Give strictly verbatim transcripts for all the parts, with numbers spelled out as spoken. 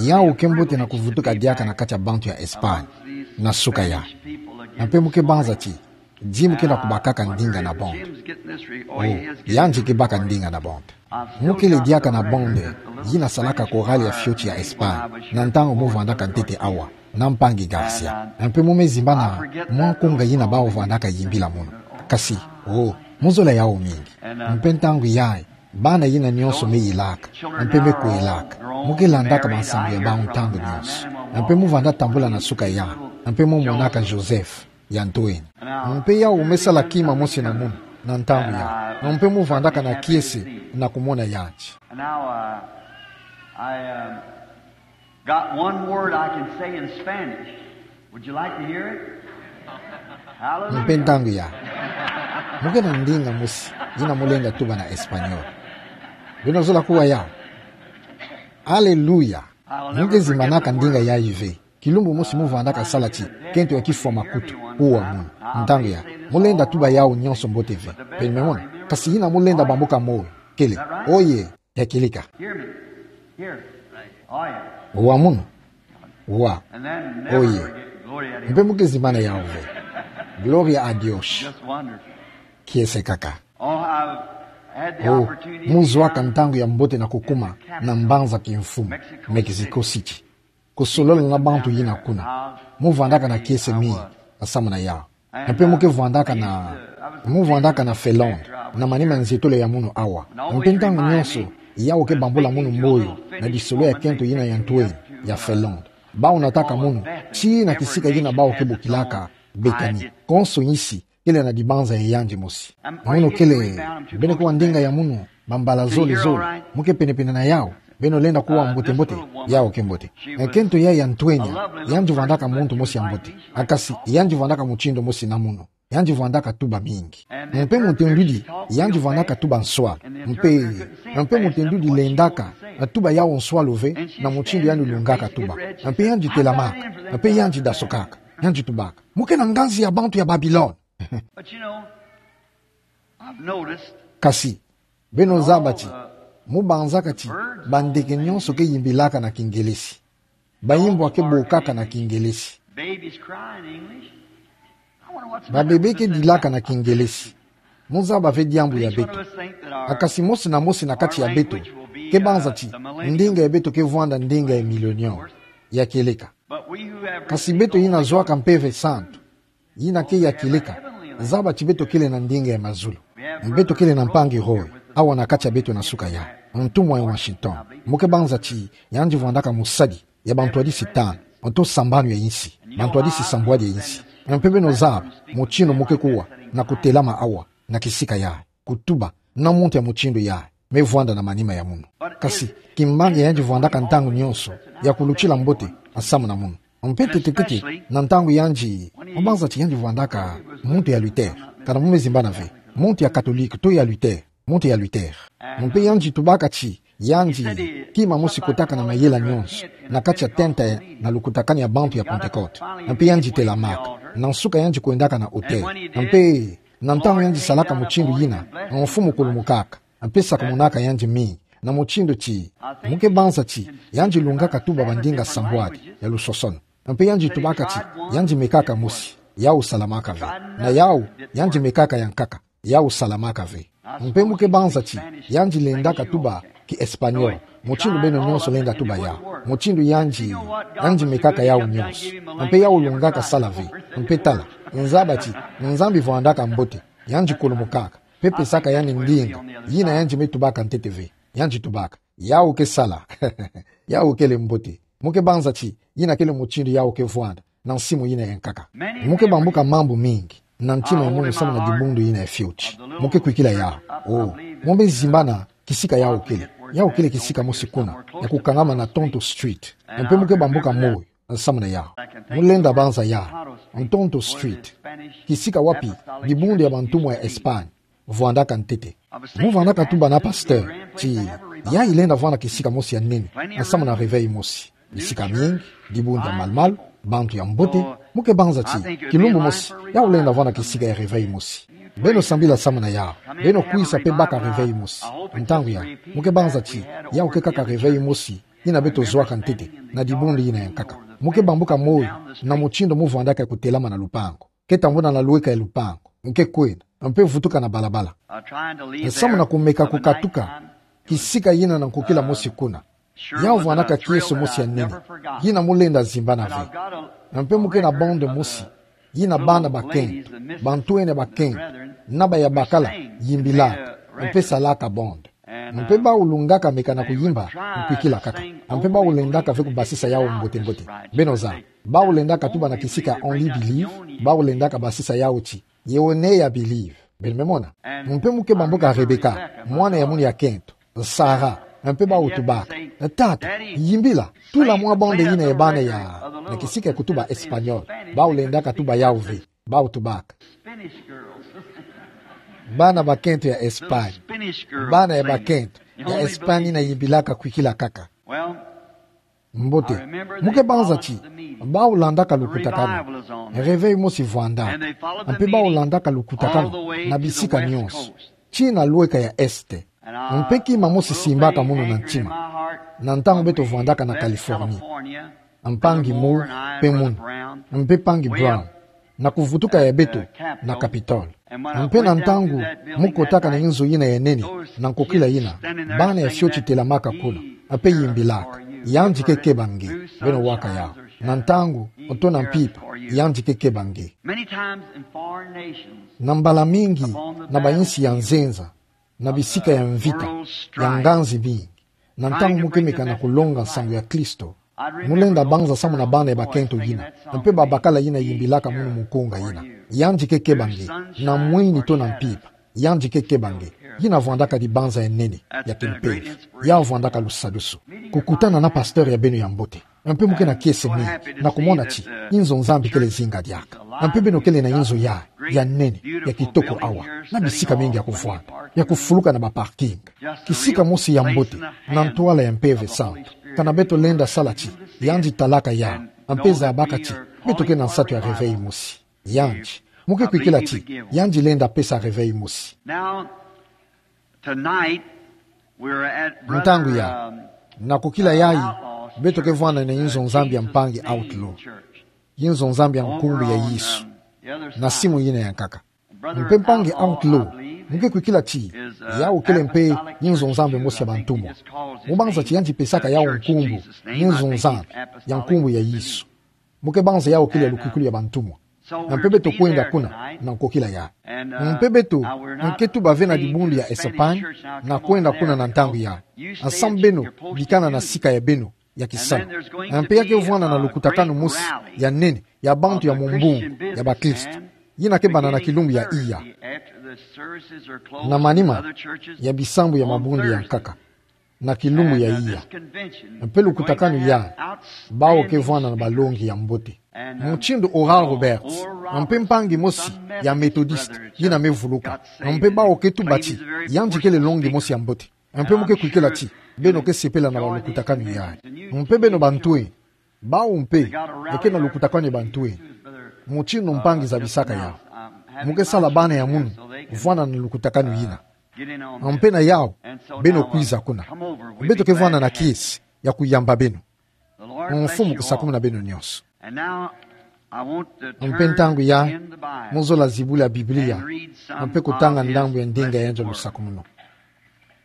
Yawu ke mbote na kuvutuka diaka na kati ya bantu ya Espagne na suka ya. Mpe mo ke banza ti Jim ke na kubakaka ndinga na bonde. O, yandi ke baka ndinga na bonde. Mo kele diaka na bonde yi na salaka korali ya fioti ya Espagne na ntangu mo vandaka ntete awa na mpangi Garcia. Mpe mo me zimbana mwa nkunga yi na bawu vandaka yimbila mono. Kasi, o, mo zola yawu mingi. Mpe ntangu yayi, bana yina nyonso me yilaka mpe me kwelaka, mo ke landaka bansangu ya bawu ntangu nyonso. Mpe mo vanda tambula na suka ya, mpe mo monaka Joseph ya ntwenya. Mpe yawu me sala kima mosi na mono na ntangu ya. Mpe mo vandaka na kiese na kumona yandi. And now uh, I uh, got one word I can say in Spanish. Would you like to hear it? Mpe ntangu ya, mo ke na ndinga mosi yina mo lenda tuba na Espagnol. Beno zola kuwa yawu? Aleluya. Mo ke zimbanaka ndinga yayi ve. Kilumbu mosi mo vandaka sala ti kento ya kifwa makutu, kuwa mono. Ntangu ya, mo lenda tuba yawu nyonso mbote ve. Beno me mona? Kasi yina mo lenda bambuka moyo, kele: Oye, ya kieleka. Hear me. Hear. Oh, yeah. Wa mono. Wa. And then Oh, never yeah. forget. Glory to Mpe mo ke zimbana yawu ve. Gloria a Dios. Just wonderful. Kiese kaka. Oh, I've had the O, opportunity mo to zwaka come ntangu ya mbote na kukuma na mbanza kimfumu, Mexico City, kusolola na bantu yina kuna. Mo vandaka na kiese mingi na samu na yawu. Mpe mo ke vandaka na, mo vandaka na Felonde, na manima ya nzietolo ya mono awa. Mpe ntangu nyonso, yawu ke bambula mono moyo na disolo ya kento yina ya ntwenya ya Felonde. Bawu nataka mono tii na kisika yina bawu ke bokilaka Béthanie. Konso insi kele na dibanza ya yandi mosi. Mono kele, beno kuwa ndinga ya mono, bambala zole zole, mo ke penepene na yawu, beno lenda kuwa mbote mbote, yawu ke mbote. E kento ya ya ntwenya, yandi vandaka muntu mosi ya mbote. A kasi, yandi vandaka mutindu mosi na mono. Yandi vandaka tuba mingi. Mpe mo ntendudi, yandi vandaka tuba nswalu. Mpe, mpe mo ntendudi lendaka na tuba yawu nswalu ve, na mutindu yandi lungaka tuba. Mpe yandi telamaka, mpe yandi dasokaka, yandi tubaka: Mo ke na nganzi ya bantu ya Babilone. But you know, I've noticed Kasi, beno zaba ti, mo banzaka ti bandeke nyonso ke yimbilaka na Kingelesi. Bayimbwa ke bokaka na Kingelesi. Babies cry in English. I wonder what's Babebe ke dilaka na Kingelesi. Mo zaba ve diambu ya beto. A kasi mosi na mosi na kati ya beto ke banza ti ndinga ya beto ke vwanda ndinga ya millennium, ya kieleka. Kasi beto yina zwaka Mpeve Santu, yina ke ya kieleka, zaba ti beto kele na ndinga ya mazulu. Beto kele na mpangi Roy awa na kati ya beto na suka ya, ntumwa ya Washington. Mo ke banza ti yandi vwandaka mosadi ya bantwadisi tanu, oto sambanu ya insi, bantwadisi sambwadi ya insi. Mpe beno zaba mutindu mo ke kuwa na kutelama awa na kisika ya kutuba na muntu ya mutindu ya me vwanda na manima ya mono. Kasi, kimbangi yandi vwandaka ntangu nyonso ya kulutila mbote na samu na mono. Mpe ntete-ntete na ntangu yandi, mo banza ti yandi vwandaka muntu ya Luther, kana mo me zimbana ve, muntu ya Katolike to ya Luther, muntu ya Luther. Mpe yandi tubaka ti yandi kima mosi kotaka na mayela nyonso na kati ya tenta na lukutakanu ya bantu ya Pentecote. Mpe yandi telamaka, na nsuka yandi kwendaka na autel. Mpe na ntangu yandi salaka mutindu yina, mfumu kulumukaka, mpe sakumunaka yandi mingi, na mutindu ti, mo ke banza ti yandi lungaka tuba bandinga sambwadi ya lusosono. Mpe yandi tubaka ti yandi mekaka mosi, yawu salamaka ve. Na yawu, yandi mekaka ya nkaka, yawu salamaka ve. Mpe mo ke banza ti yandi lendaka tuba ki Espagnol, mutindu beno nyonso lenda tuba yawu, mutindu yandi, yandi mekaka yawu nyonso. Mpe yawu lungaka sala ve. Mpe tala, nzaba ti Nzambi vwandaka mbote, yandi kulumukaka, mpe pesaka yandi ndinga yina yandi me tubaka ntete ve. Yandi tubaka: Yawu ke sala. Yawu kele mbote. Mo ke banza ti yina kele mutindu yawu ke vwanda na nsimu yina ya nkaka. Mo ke bambuka mambu mingi na ntima ya mono samu na dibundu yina ya fioti. Mo ke kwikila yawu. O, mo me zimbana kisika yawu kele. Yawu kele kisika mosi kuna ya kukangama na Tonto Street. Mpe mo ke bambuka moyo na samu na yawu. Mo lenda banza yawu, Tonto Street, kisika wapi dibundu ya bantumwa ya Espagne vwandaka ntete. Mo vandaka tuba na pasteur ti yayi lenda vwanda kisika mosi ya nene na samu na réveil mosi. Bisika mingi, dibundu ya malu-malu, bantu ya mbote. Mo ke banza ti kilumbu mosi yawu lenda vwanda kisika ya réveil mosi. Beno sambila samu na yawu. Beno kwisa mpe baka réveil mosi. Ntangu ya, mo ke banza ti yawu ke kaka réveil mosi yina beto zuaka ntete, na dibundu yina ya nkaka. Mo ke bambuka moi, na mutindu mo vwandaka kutelama na lupangu. Ke tambula na lueka ya lupangu, mo ke kwenda, mpe vutuka na balabala. Samu na kumeka kukatuka kisika yina na nkokila mosi kuna. Yau vwanaka kiese mosi ya nene, yina mo lenda zimbana ve. Mpe mo ke na bande mosi, yina bana bakento, bantwenia bakento, na baya bakala, yimbilaka, mpe salaka bande. Mpe bau lungaka meka na kuyimba, nkwikila kaka. Mpe bau lendaka ve kubasisa yau mbote mbote. Beno zaba, bau lendaka tuba na kisika Only Believe, bau lendaka basisa yau ti, Ye Only Believe. Beno me mona. Mpe mo ke bambuka Rebecca, mwana ya munu ya kento, Sarah, mpe bau tubaka: Tata, yimbila, tula mwa bande yina ya bana ya, na kisika kutuba Espagnol, bau lendaka tuba yau ve, bau tubaka: Bana bakento ya Espagne. Bana ya bakento ya Espagne yina yimbilaka kwikila kaka. Mbote, mo ke banza ti, bau landaka lukutakanu. Réveil mosi vwandaka. Mpe bau landaka lukutakanu na bisika nionso, tii na lueka ya Est. Mpe kima mosi simbaka munu na ntima, na ntangu beto vwandaka na Californie. Mpangi Moore, mpe munu, mpe mpangi Brown, na kuvutuka ya beto na Capitole. Mpe na ntangu mo kotaka na inzo yina ya nene, na nkokila yina, bana ya fioti telamaka kuna, mpe yimbilaka: Yandi ke keba nge. Beno waka yau. Na ntangu, oto na mpimpa, yandi ke keba nge. Na mbala mingi, na bayinsi ya nzenza, na bisika ya mvita, ya nganzi mingi, na ntangu mo ke meka na kulonga nsangu ya Kristo, mo lenda banza samu na bana ya bakento yina, mpe babakala yina yimbilaka munu mukunga yina: Yandi ke keba nge, na mwini to na mpimpa, yandi ke keba nge. Yina vwandaka dibanza ya nene, ya kimpeve. Yau vwandaka lusadusu. Kukutana na pasteur ya beno ya mbote. Mpe mo ke na kiese mingi, na kumona ti, inzo Nzambi kele zinga diaka. Mpe beno kele na inzo ya, ya nene, ya kitoko awa, na bisika mingi ya kuvwanda, ya kufuluka na ba parking. Kisika mosi ya mbote, na ntwala ya Mpeve Santu. Kana beto lenda sala ti, yandi talaka yau, mpe zabaka ti, beto ke na nsatu ya réveil mosi. Yandi, mo ke kwikila ti, yandi lenda pesa réveil mosi. Ntangu ya, na nkokila yayi, beto ke vwanda na inzo Nzambi ya mpangi Outlaw. Inzo Nzambi ya nkumbu ya Yesu. Na simu yina ya nkaka. Mpe mpangi Outlaw, mo ke kwikila ti, yau kele mpe inzo Nzambi mosi ya bantumwa. Mo banza ti yandi pesaka yau nkumbu, inzo Nzambi, ya nkumbu ya Yesu. Mo ke banza yau kele ya lukwikulu ya bantumwa. Mpe beto kwenda kuna, na nkokila ya. Mpe beto, mo ke tuba ve na dibundu ya Espagne, na kwenda kuna na ntangu ya. Samu beno, bikana na sika ya beno, ya kisalu. Mpe ya ke vwanda na lukutakanu mosi, ya nene, ya bantu ya mumbungu, ya bakristo. Yina ke banda na kilumbu ya iya. Na manima, ya bisambu ya mabundu ya nkaka. Na kilumbu ya iya. Mpe lukutakanu ya, bau ke vwanda na balongi ya mbote. Mutindu Oral Roberts, mpe mpangi mosi, ya Methodist, yina me vuluka. Mpe bau ke tuba ti, yandi kele longi mosi ya mbote. Mpe mo ke kwikila ti, beno ke sepela na balukutakanu ya. Mpe beno bantwenia, bau mpe, eke na lukutakanu ya bantwenia. Mutindu mpangi zabisaka yau. Mo ke sala bana ya munu, vwanda na lukutakanu yina. Mpe na yau, beno kwiza kuna. Beto ke vwanda na kiese, ya kuyamba beno. Mfumu kusakumuna beno nionso. Mpe ntangu ya, mo zola zibula Biblia, mpe kutanga ndambu ya ndinga ya nzo lusakumunu.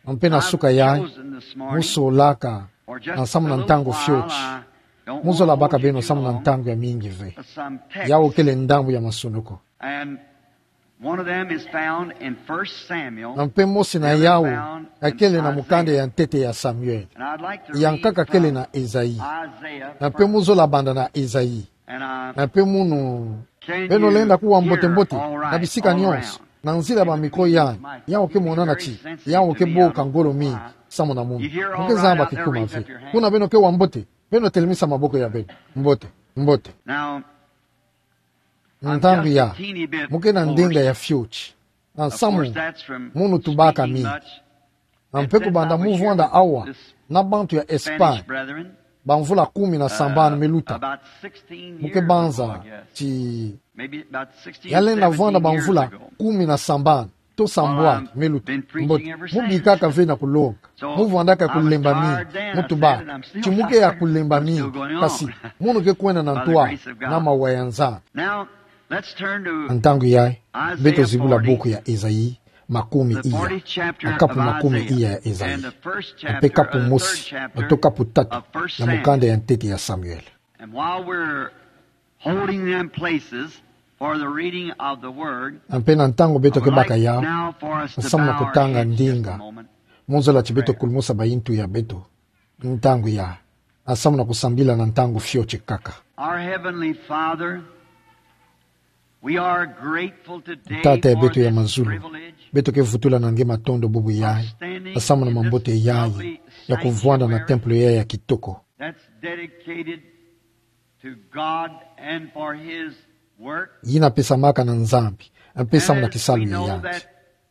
Mpe na suka ya, mo solaka, na samu na ntangu fioti. Mo zola baka beno samu na ntangu ya mingi ve. Yau kele ndambu ya masunuku. One of them is found in First Samuel. Mpe mosi na yau, akele na mukanda ya ntete ya Samuel. And I'd like to read from Isaiah. Ya nkaka kele na Esaïe. Mpe mo zola banda na Esaïe. And, uh, mpe munu, beno lenda kuwa mbote mbote, na bisika nionso, na nzila ya bamiko ya, yau ke monana ti, yau ke boka ngolo mingi, samu na munu. Mo ke zaba kikuma ve. Kuna beno ke wa mbote, beno telemisa maboko ya beno. Mbote, mbote. Ntangu ya, mo ke na ndinga ya fioti. Na samu, munu tubaka mingi. Mpe kubanda mo vwanda awa, na bantu ya Espagne, bamvula kumi na sambanu me luta. Mo ke banza, ti, ya lenda vwanda bamvula kumi na sambanu. Sambwani, me luto. Mbote, mu bikaka ve na kulonga. Mu vwandaka kulemba mingi. Mu tuba, ti mu ke ya kulemba mingi. Kasi, mono ke kwenda na ntoa, na mawa ya Nzambi. Ntangu yayi, beto zibula buku ya Ezayi, makumi iya. Kapu makumi iya ya Ezayi. Mpe kapu mosi, to kapu tatu, ya mukanda ya ntete ya Samuel. And while we're holding them places for the reading of the word, mpe na ntangu beto ke baka yawu, nsamu na kutanga ndinga. Mu nzololo ti beto kulumusa bayintu ya beto. Ntangu yayi, nsamu na kusambila na ntangu fioti kaka. Our Heavenly Father, we are grateful today. Tata ya beto ya mazulu, beto ke vutula na nge matondo bubu yayi, nsamu na mambote yayi, ya kuvwanda na templo yayi ya kitoko. That's dedicated to God and for His work. Yina pesamaka na Nzambi, mpe samu na kisalu ya yandi.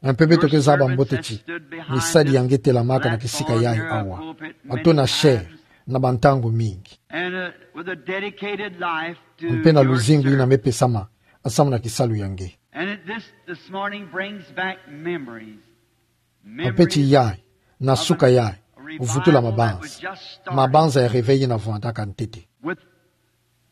Mpe beto ke zaba mbote ti misadi ya nge telamaka na kisika yayi awa, ato na chaire, na bantangu mingi. And, uh, with a dedicated life to your service. Mpe na luzingu yina mepesama, samu na kisalu ya nge. And it, this, this morning brings back memories. Mpe ti yayi, na suka yayi, vutula mabanza. Mabanza ya réveil yina vwandaka ntete. With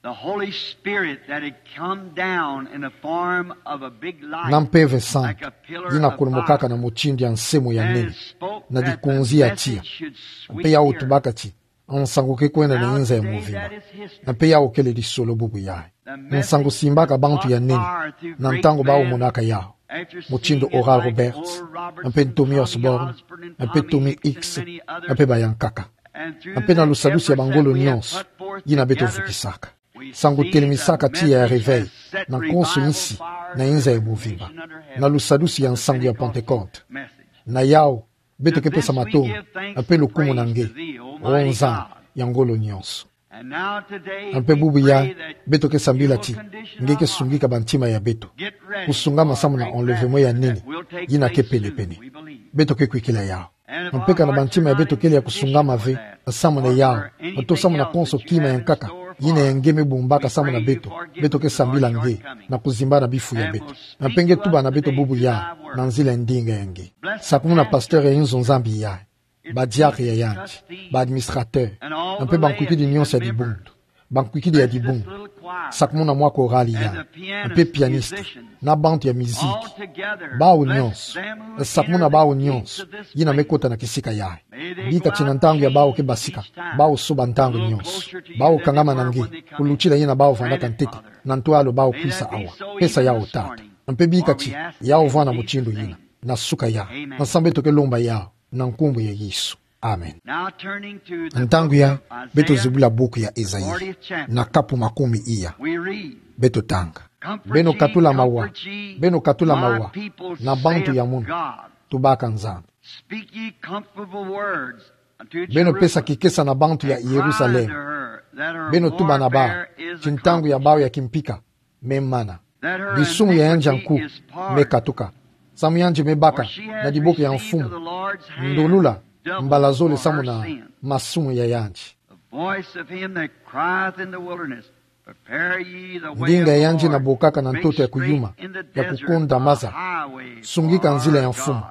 the Holy Spirit that had come down in the form of a big light, na Mpeve Santu, like a pillar of fire, yina kulumukaka na mutindu ya nsemo ya nene, na dikunzi ya tiya. Mpe yawu tubaka ti, nsangu ke kwenda na inza ya muvimba. Mpe yawu kele lisolo bubu yayi. Nsangu simbaka bantu ya nene, na ntangu bawu monaka yawu. Mutindu Oral Roberts, mpe Tommy Osborn, mpe Tommy Hicks, mpe bayankaka. Mpe na lusadusi ya bangolo nyonso, yina beto vukisaka. Nsangu telemisaka tiya ya réveil, na konso insi, na inza ya muvimba. Na lusadusi ya nsangu ya Pentecôte. Na yawu, beto ke pesa matondo, mpe lukumu na nge, O Nzambi ya ngolo nyonso. Mpe bubu yayi, beto ke sambila ti nge ke sungika bantima ya beto. Kusungama samu na enlèvement ya nene, yina ke penepene. Beto ke kwikila yawu. Mpe kana bantima ya beto kele ya kusungama ve, samu na yawu, ato samu na konso kima ya nkaka, yina ya nge me bumbaka samu na beto, beto ke sambila nge, na kuzimba na bifu ya beto. Mpe nge tuba na beto bubu yayi, na nzila ya ndinga ya nge. Sakumuna pasteur ya inzo Nzambi yayi, badiakre ya yandi, ba administrateur, mpe bankwikidi nyonso ya dibundu, bankwikidi ya dibundu, sakumuna mwa korali yayi, mpe pianiste, na bantu ya miziki. Bawu nyonso, sakumuna bawu nyonso, yina me kota na kisika yayi. Bika ti na ntangu ya bawu ke basika, bawu soba ntangu nyonso. Bawu kangama na nge, kulutila yina bawu vwandaka ntete, na ntwala bawu kwisa awa. Pesa yawu Tata. Mpe bika ti, yawu vwanda mutindu yina, na suka yayi. Nsamu beto ke lomba yawu, na nkumbu ya Yesu. Amen. Ntangu yayi, beto zibula buku ya Ezayi, na kapu makumi iya. Beto tanga. Beno katula mawa, beno katula mawa, na bantu ya mono, tubaka Nzambi. Beno pesa kikesa na bantu ya Yerusalem. Beno tuba na bawu, ti ntangu ya bawu ya kimpika me mana. Misumu ya yandi ya nku me katuka. Samu yandi me baka na diboko ya mfumu ndolula mbala zole samu na masumu ya yandi. Ndinga ya yandi na bokaka na ntoto ya kuyuma, ya kukonda maza. Sungika nzila ya mfumu.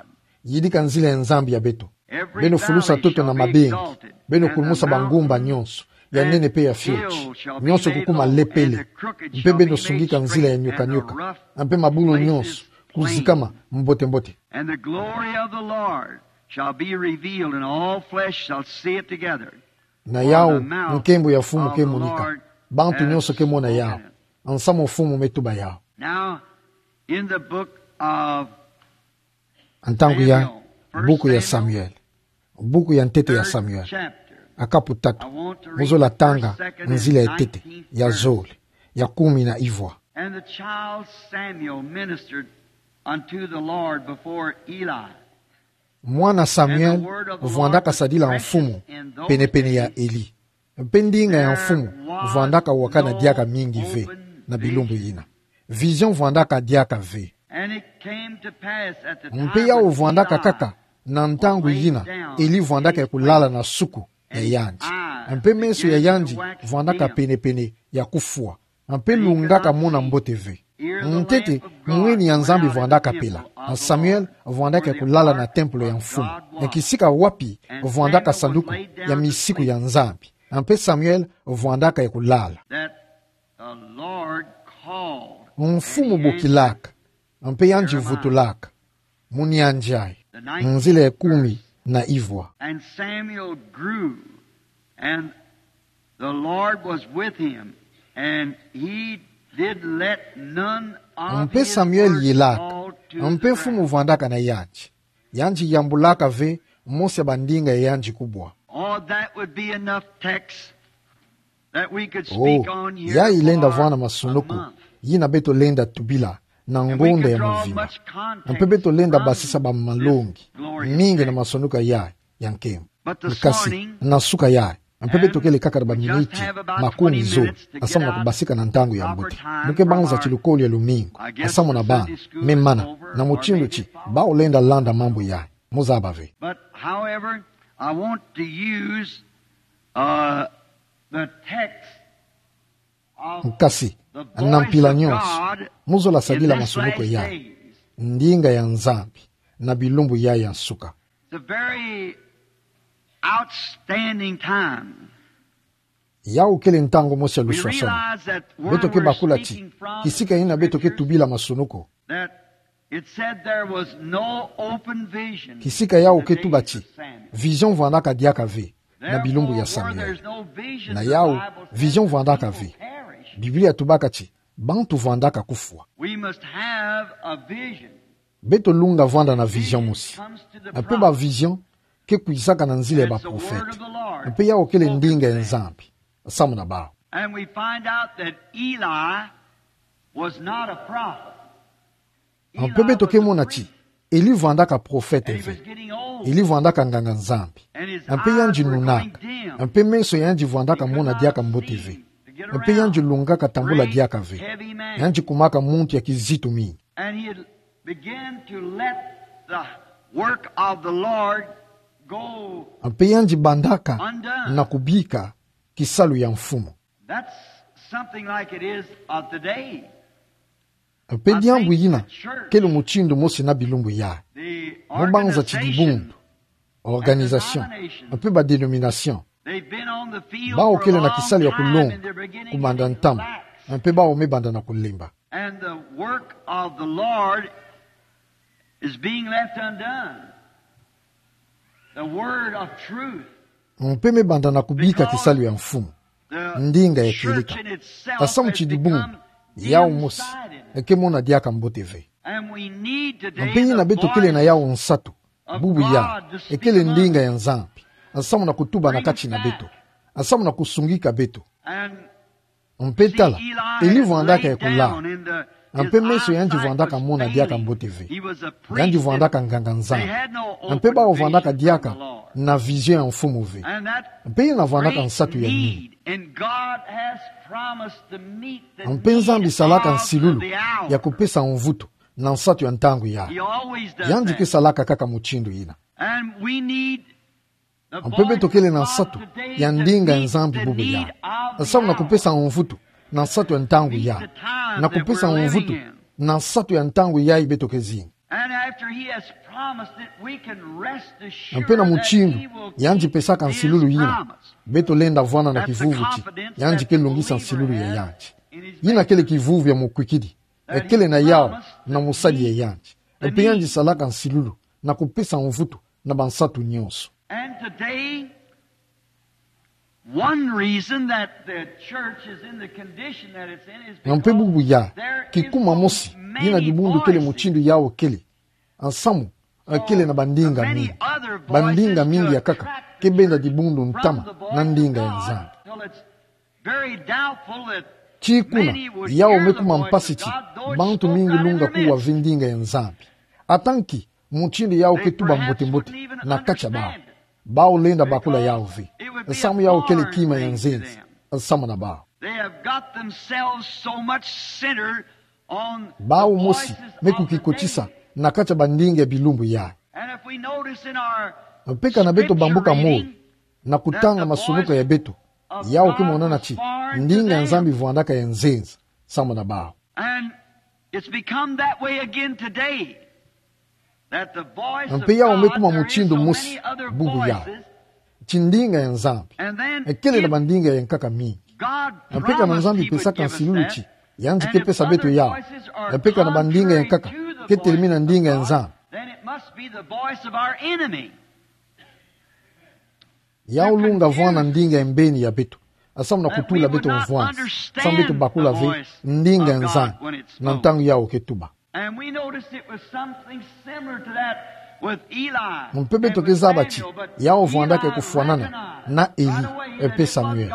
Yidika nzila ya Nzambi ya beto. Beno fulusa ntoto na mabengi. Beno kulumusa bangomba nyonso, ya nene mpe ya fioti. Nyonso kukuma lepele. Mpe beno sungika nzila ya nioka-nioka. Mpe mabulu nyonso kuzikama mbote-mbote. And the glory of the Lord shall be revealed, and all flesh shall see it together. Na yawu, nkembo ya mfumu ke monika. Bantu nyonso ke mona yawu. Nsamu mfumu me tuba yawu. Now, in the book of Ntangu yayi, buku ya Samuel. Buku ya ntete ya Samuel. Kapu tatu. Mu zola tanga nzila ya ntete, ya zole, ya kumi na ivwa. And the child Samuel ministered unto the Lord before Eli. Mwana Samuel vwandaka sadila mfumu penepene ya Eli. Mpe ndinga ya mfumu vwandaka wakana diaka mingi ve na bilumbu yina. Vision vwandaka diaka ve. Mpe yawu vwandaka kaka na ntangu yina Eli vwandaka ya kulala na suku ya yandi. Mpe meso ya yandi vwandaka penepene ya kufwa. Mpe lungaka mona mbote ve. Ntete, mwini ya Nzambi vwandaka pela. Samuel vwandaka ya kulala na tempelo ya mfumu. Kisika wapi vwandaka sanduku ya misiku ya Nzambi. Mpe Samuel vwandaka ya kulala. That the Lord called. Mfumu bokilaka. Mpe yandi vutulaka. Muni anjai. Nzila ya kumi na ivwa. And Samuel grew, and the Lord was with him, and he did let none of Mpe his Samuel works yelaka. Fall to the ground. Mpe mfumu vwandaka na yandi. Yandi yambulaka ve mosi ya bandinga ya yandi kubwa. Oh, that would be enough text that we could speak on here for a month. Oh, yayi lenda vwanda masunuku, yina beto lenda tubila na ngonda ya mvimba. Mpe beto lenda basisa ba malongi mingi na masunuku yayi ya nkembo. Nkasi, na suka yayi, mpe beto kele kaka na ba miniti makumi zole, nsamu na kubasika na ntangu ya mbote. Mu ke banza ti lukolo ya lumingu, nsamu na bana, me mana, na mutindu ti, bau lenda landa mambu yayi. Muzaba ve. But, however, I want to use, uh, the text of Nkasi, the voice of God in this last days. Na mpila nyonso, mu zola sadila masunuku yayi. Ndinga ya Nzambi, na bilumbu yayi ya nsuka. It's a very outstanding time. Yawu kele ntangu mosi ya luswaswani. Beto ke bakula ti, kisika yina beto ke tubila masunuku. That it said there was no open vision. Kisika yawu ke tuba ti, vision vwandaka diaka ve na bilumbu ya Samuel. Na yawu, vision vwandaka ve. Biblia tubaka ti, bantu vwandaka kufwa. We must have a vision. Beto lunga vwanda na vision mosi. Mpe ba vision ke kwisaka na nzila ya ba profete. Mpe yawu kele ndinga ya Nzambi. Nsamu na bau. And we find out that Eli was not a prophet. Mpe beto ke mona ti, Eli vwandaka profete ve. Eli vwandaka nganga-Nzambi. Mpe yandi nunaka. Mpe meso ya yandi vwandaka mona diaka mbote ve. Mpe yandi lungaka tambula diaka ve. Yandi kumaka muntu ya kizitu mingi. And he had began to let the work of the Lord go undone. Mpe yandi bandaka na kubika kisalu ya Mfumu. That's something like it is of today. Mpe diambu yina kele mutindu mosi na bilumbu yayi. Mu banza ti dibundu, organisation, mpe ba dénomination. Bau kele na kisalu ya kulonga, kumanda ntama, mpe bau me banda na kulemba. And the work of the Lord is being left undone. The word of truth. Mpe me banda na kubika kisalu ya Mfumu. Ndinga ya kieleka. Nsamu ti dibundu, yawu mosi, eke mona diaka mbote ve. Mpe yina beto kele na yawu nsatu, bubu yayi, ekele ndinga ya Nzambi. Nsamu na kutuba na kati na beto. Nsamu na kusungika beto. Mpe tala, Eli vwandaka ya kulala. Mpe meso ya yandi vwandaka mona diaka mbote ve. Yandi vwandaka nganga-Nzambi. Mpe bau vwandaka diaka na vision ya Mfumu ve. Mpe yina vwandaka nsatu ya nini. Mpe Nzambi salaka nsilulu ya kupesa mvutu na nsatu ya ntangu yayi. Yandi ke salaka kaka mutindu yina. Mpe beto kele na nsatu ya ndinga ya Nzambi bubu yayi. Nsamu na kupesa mvutu na nsatu ya ntangu yayi. Na kupesa mvutu na nsatu ya ntangu yayi beto ke zinga. And after he has promised it, we can rest assured that he will keep his promise. Mpe na mutindu yandi pesaka nsilulu yina, beto lenda vwanda na kivuvu ti yandi ke lungisa nsilulu ya yandi. Yina kele kivuvu ya mukwikidi, ekele na yawu na musadi ya yandi. Mpe yandi salaka nsilulu na kupesa mvutu na bansatu nyonso. And today, one reason that the church is in the condition that it's in is because there is so many voices. Mpe bubu yayi, kikuma mosi yina dibundu kele mutindu yawu kele, nsamu, eh, kele na bandinga mingi. Bandinga mingi ya nkaka ke benda dibundu ntama na ndinga ya Nzambi. Ti kuna, yawu me kuma mpasi ti bantu mingi lunga kuwa ve ndinga ya Nzambi. Atanki mutindu yawu ke tuba mbote-mbote na kati ya bawu, bawu lenda bakula yawu ve. Nsamu yawu kele kima ya nzenza, nsamu na bawu. Bawu mosi me kukikotisa na kati ya bandinga ya bilumbu yayi. Mpe kana beto bambuka moyo na kutanga masunuka ya beto, yawu ke monana ti ndinga ya Nzambi vwandaka ya nzenza, nsamu na bawu. It's become that way again today. That the voice of God, there is so many other voices. Mpe yawu me kuma mutindu mosi bubu yayi, ti ndinga ya Nzambi ekele na bandinga ya nkaka mingi. Mpe kana Nzambi pesaka nsilulu ti yandi ke pesa beto yawu, mpe kana bandinga ya nkaka ke telemi na ndinga ya Nzambi, then it must be the voice of our enemy. Yawu lunga vwanda ndinga ya mbeni ya beto, samu na kutula beto mvwanzi, samu beto bakula ve ndinga ya Nzambi na ntangu yawu ke tuba. And we noticed it was something similar to that with Eli and with Samuel, but Eli had a revelation of God, and they were going to be one. Mpe beto ke zaba ti yawu vwandaka kufwanana na Eli mpe Samuel.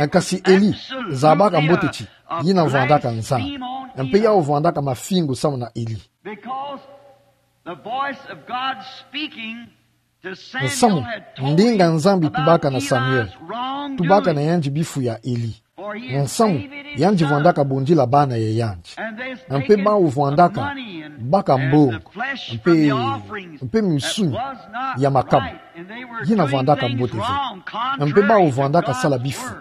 Kasi Eli zabaka mbote ti yina vwandaka Nzambi, mpe yawu vwandaka mafingu samu na Eli. Because the voice of God speaking to Samuel had told him about Eli's wrongdoing. Nsamu, ndinga Nzambi tubaka na Samuel, tubaka na yandi bifu ya Eli. Nsamu, yandi vwandaka bondila bana ya yandi. Mpe bawu vwandaka baka mbongo, mpe, mpe misuni ya makama. Yina vwandaka mbote ve. Mpe bawu vwandaka sala bifu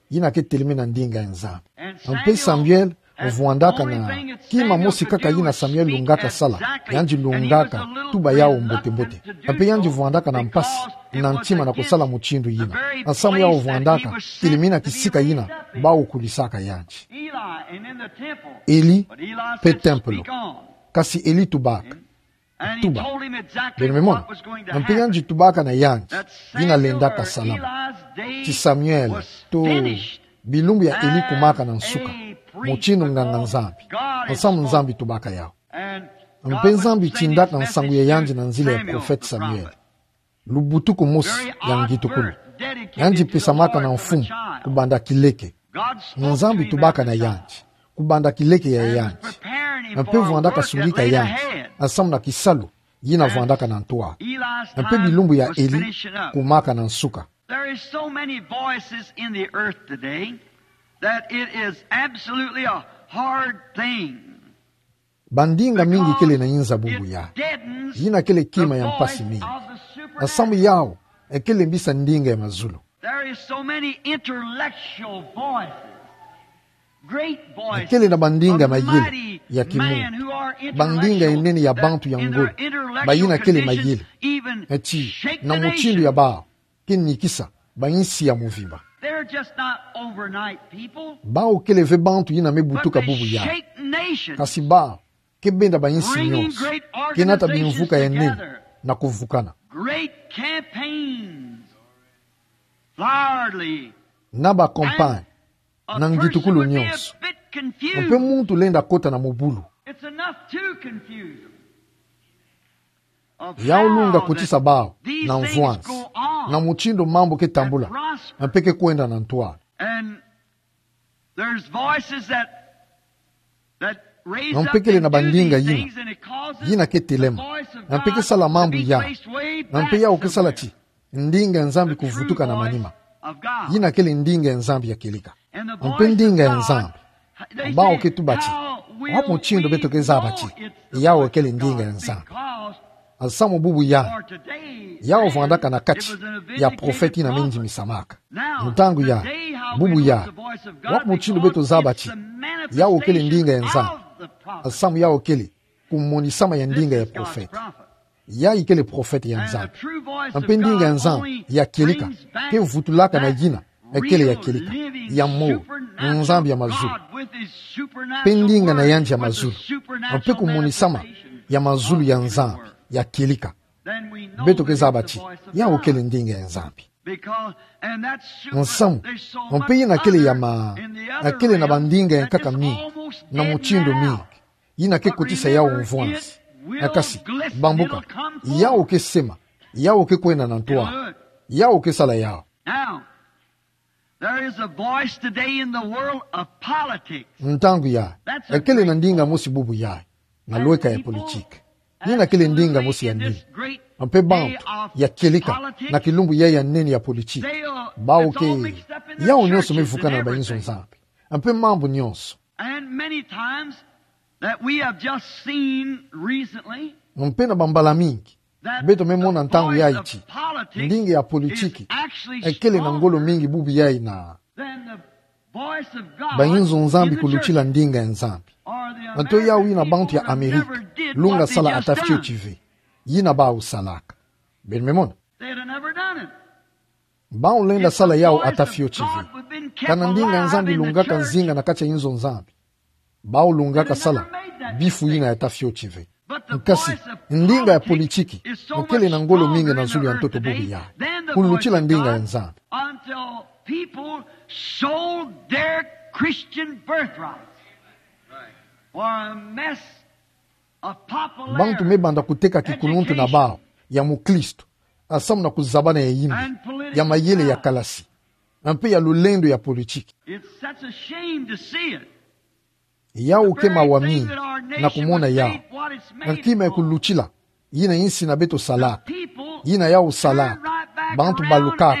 yina ke telemi na ndinga ya Nzambi. Mpe Samuel vwandaka na kima mosi kaka yina Samuel lungaka sala, yandi lungaka tuba yawu mbote-mbote. Mpe yandi vwandaka na mpasi na ntima na kusala mutindu yina, nsamu yawu vwandaka telemi na kisika yina bawu kulisaka yandi. Eli mpe tempelo. Kasi Eli tubaka. Tuba. Beno me mona. Mpe yandi tubaka na yandi yina lendaka salama. Ti Samuel, to bilumbu ya Eli kumaka na nsuka mutindu nganga-Nzambi, nsamu Nzambi tubaka yawu. Mpe Nzambi tindaka nsangu ya yandi na nzila ya profete Samuel. Lubutuku mosi ya ngitukulu, yandi pesamaka na mfumu kubanda kileke. Nzambi tubaka na yandi kubanda kileke ya yandi. Mpe vwandaka sungika yandi nsamu na kisalu yina vwandaka na ntwala. Mpe bilumbu ya Eli kumaka na nsuka. There is so many voices in the earth today that it is absolutely a hard thing. Bandinga mingi kele na inza bubu yayi, yina kele kima ya mpasi mingi. Nsamu yawu ekele mbisa ndinga ya mazulu. There is so many intellectual voices, great voices, kele na bandinga mayele ya kimuntu, bandinga ya nene ya bantu ya ngolo, bayina kele mayele, eti na mutindu ya bawu ke nikisa bayinsi ya muvimba. They're just not overnight people. Bawu kele ve bantu yina me butuka bubu yayi. But they shake nations, kasi bawu ke benda bayinsi nyonso, ke nata bimvuka ya nene na kuvukana. Great campaigns, flowery, na ba campagne, na ngitukulu nyonso. Mpe muntu lenda kota na mubulu. It's enough to confuse them. Yawu lunga kotisa bawu na mvwanzi na mutindu mambu ke tambula, mpe ke kwenda na ntwala. And there's voices that, that raise up and do these things, and it causes the voice of God to be placed way back. Mpe kele na bandinga yina, yina ke telema, mpe ke sala mambu yayi, mpe yawu ke sala ti ndinga ya Nzambi kuvutuka na manima. Yina kele ndinga ya Nzambi ya kieleka. Mpe ndinga ya Nzambi, bawu ke tuba ti, wapi mutindu beto ke zaba ti yawu kele ndinga ya Nzambi? Nsamu bubu yayi, yawu vwandaka na kati ya profete yina me ndimisamaka. Ntangu yayi, bubu yayi, wapi mutindu beto zaba ti yawu kele ndinga ya Nzambi? Nsamu yawu kele kumonisama ya ndinga ya profete. Yayi kele profete ya Nzambi. Mpe ndinga ya Nzambi ya kieleka ke vutulaka na yina ekele ya kieleka, ya moyo, Nzambi ya mazulu. Mpe ndinga na yandi ya mazulu, mpe kumonisama ya mazulu ya Nzambi ya kieleka, beto ke zaba ti yawu kele ndinga ya Nzambi. Nsamu, mpe yina kele ya ma, kele na bandinga ya nkaka mingi, na mutindu mingi, yina ke kotisa yawu mvwanzi. Kasi, bambuka, yawu ke sema, yawu ke kwenda na ntwala, yawu ke sala yawu. Now, there is a voice today in the world of politics. Ntangu yayi, kele na ndinga mosi bubu yayi na lweka ya politiki. Yina kele ndinga mosi ya nene. Mpe bantu ya kieleka na kilumbu yayi ya nene ya politiki, bawu ke, yawu nyonso me vukana na bayinzo Nzambi. Mpe mambu nyonso. And many times that we have just seen recently, mpe na bambala mingi, beto me mona ntangu yayi ti ndinga ya politiki ekele na ngolo mingi bubu yayi na bayinzo Nzambi kulutila ndinga ya Nzambi. Nto yau yina bantu ya Amerika lunga sala ata fioti ve yina bau salaka. Beno me mona. Bau lenda sala yau ata fioti ve. Kana ndinga ya Nzambi lungaka nzinga na kati ya inzo Nzambi, bau lungaka sala bifu yina ya ata fioti ve. Nkasi, ndinga ya politiki mokele na ngolo mingi na zulu ya ntoto bubu yayi kulutila ndinga ya Nzambi. Until people sold their Christian birthrights for a mess of popularity, bantu me banda kuteka kikuluntu na bau ya mukristu, nsamu na kuzabana ya yimbi, ya mayele ya kalasi, mpe ya lulendo ya politiki. It's such a shame to see it. Yau ke mawa mingi na kumona yau. Kima ya kulutila yina insi na beto salaka, yina yau salaka, bantu balukaka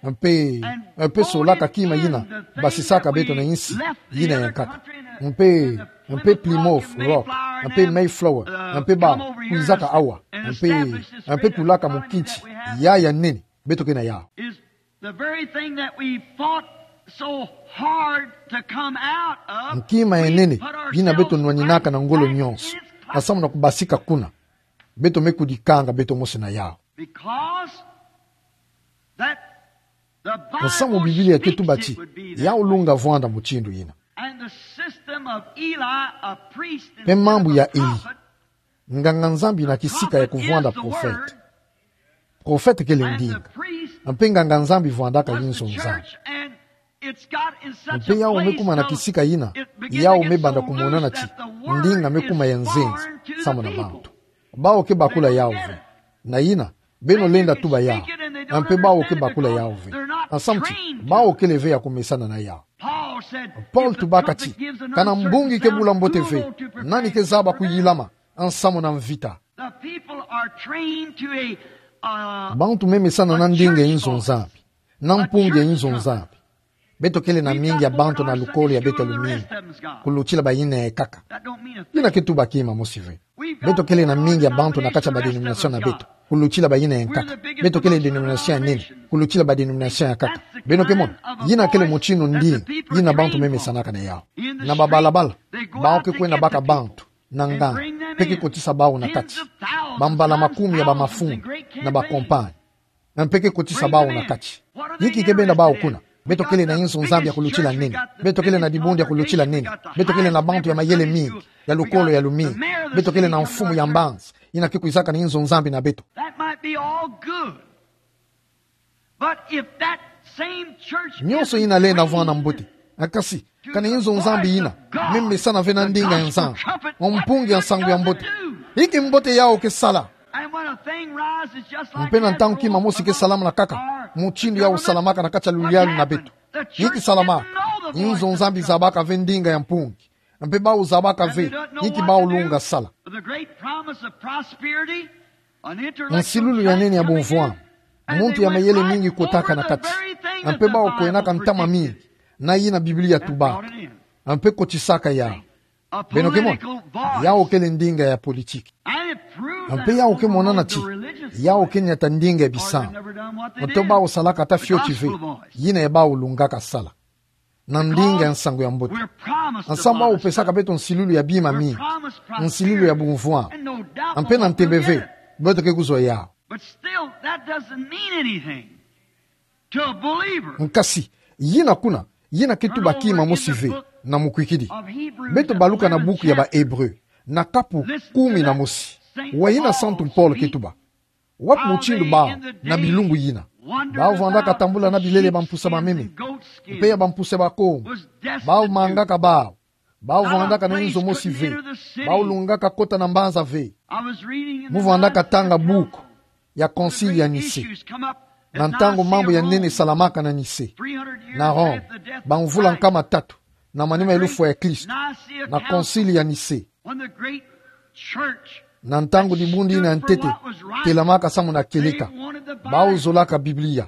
mpe, mpe solaka kima yina basisaka beto na insi yina ya nkaka. Mpe, mpe Plymouth Rock, mpe Mayflower, mpe bau kwizaka awa, mpe, mpe tulaka mukinti ya ya nene beto ke na yau. The very thing that we fought so hard to come out of, nkima ya nene yina beto nwaninaka na ngolo nyonso, nsamu na kubasika kuna, beto me kudikanga beto mosi na yau. Because that the Bible, nsamu Biblia ke tuba ti yau lunga vwanda mutindu yina. And the system of Eli, a priest, mpe mambu ya Eli, nganga Nzambi na kisika ya kuvwanda profete. Profete kele ndinga. Mpe nganga Nzambi vwandaka inzo Nzambi. Mpe yau me kuma na kisika yina, yau me banda kumonana ti ndinga me kuma ya nzenza nsamu na bantu. Bau ke bakula yau ve. Na yina, beno lenda tuba yau. Mpe bau ke bakula yau ve. Nsamu ti bau kele ve ya kumesana na yau. Paul tubaka ti kana mbungi ke bula mbote ve, nani ke zaba kuyilama nsamu na mvita? The people are trained to a, uh, bantu me mesana na ndinga ya inzo Nzambi, na mpungi ya inzo Nzambi. Beto kele na mingi ya bantu na lukolo ya beto ya lumingu kulutila bayina ekaka. Yina ke tuba kima mosi ve. Beto kele na mingi ya bantu na kati ya ba dénomination na beto kulutila bayina ya nkaka. Beto kele dénomination ya nene kulutila ba dénomination ya nkaka. Beno ke mona, yina kele mutindu ndinga yina bantu me mesanaka na yau. Na babalabala, bau ke kwenda baka bantu na nganga, mpe ke kotisa bau na kati. Bambala makumi ya bamafumu na ba compagnie, mpe ke kotisa bau na kati. Inki ke benda bau kuna? Beto kele na inzo Nzambi ya kulutila nene. Beto kele na dibundu ya kulutila nene. Beto kele na bantu ya mayele mingi, ya lukolo ya lumingu. Beto kele na mfumu ya mbanza yina ke kwizaka na inzo Nzambi na beto. That might be all good. But if that same church, nyonso yina lenda vwanda mbote. Kasi, kana inzo Nzambi yina me mesana ve na ndinga ya Nzambi, mpungi ya nsangu ya mbote, inki mbote yau ke sala? And when a thing rises just like that, mpe na ntangu kima mosi ke salamana kaka mutindu yau salamaka na kati ya luyalu na beto, inki salamaka? Inzo Nzambi zabaka ve ndinga ya mpungi, mpe bau zabaka ve inki bau lunga sala. The great promise of prosperity, an intellectual, nsilulu ya nene ya bumvwama, muntu ya mayele mingi kotaka na kati, mpe bau kwenaka ntama mingi na yina Biblia tubaka, mpe kotisaka yau. Beno ke mona, yau kele ndinga ya politiki. Mpe yau ke monana ti yau ke niata ndinga ya bisambu. Nto bau salaka ata fioti ve yina ya bau lungaka sala na ndinga ya nsangu ya mbote. Nsangu bau pesaka beto nsilulu ya bima mingi, nsilulu ya bumvwama. Mpe na ntembe ve, beto ke kuzwa yau. But still, that doesn't mean anything to a believer. Nkasi, yina kuna, yina ke tuba kima mosi ve na mukwikidi. Beto baluka na buku ya ba Hébreux, na kapu kumi na mosi. Wa yina Santu Paul ke tuba. Wapi mutindu bau, na bilumbu yina, bau vwandaka tambula na bilele bampusa bameme, mpe ya bampusa bakombo, bau mangaka bau, bau vwandaka na inzo mosi ve, bau lungaka kota na mbanza ve. Mu vwandaka tanga buku ya Concile ya Nicée, na ntangu mambu ya nene salamaka na Nicée, na Rome, bamvula nkama tatu na manima ya lufwa ya Kristo, na Concile ya Nicée. Na ntangu dibundu yina ya ntete telamaka samu na kieleka, bau zolaka Biblia.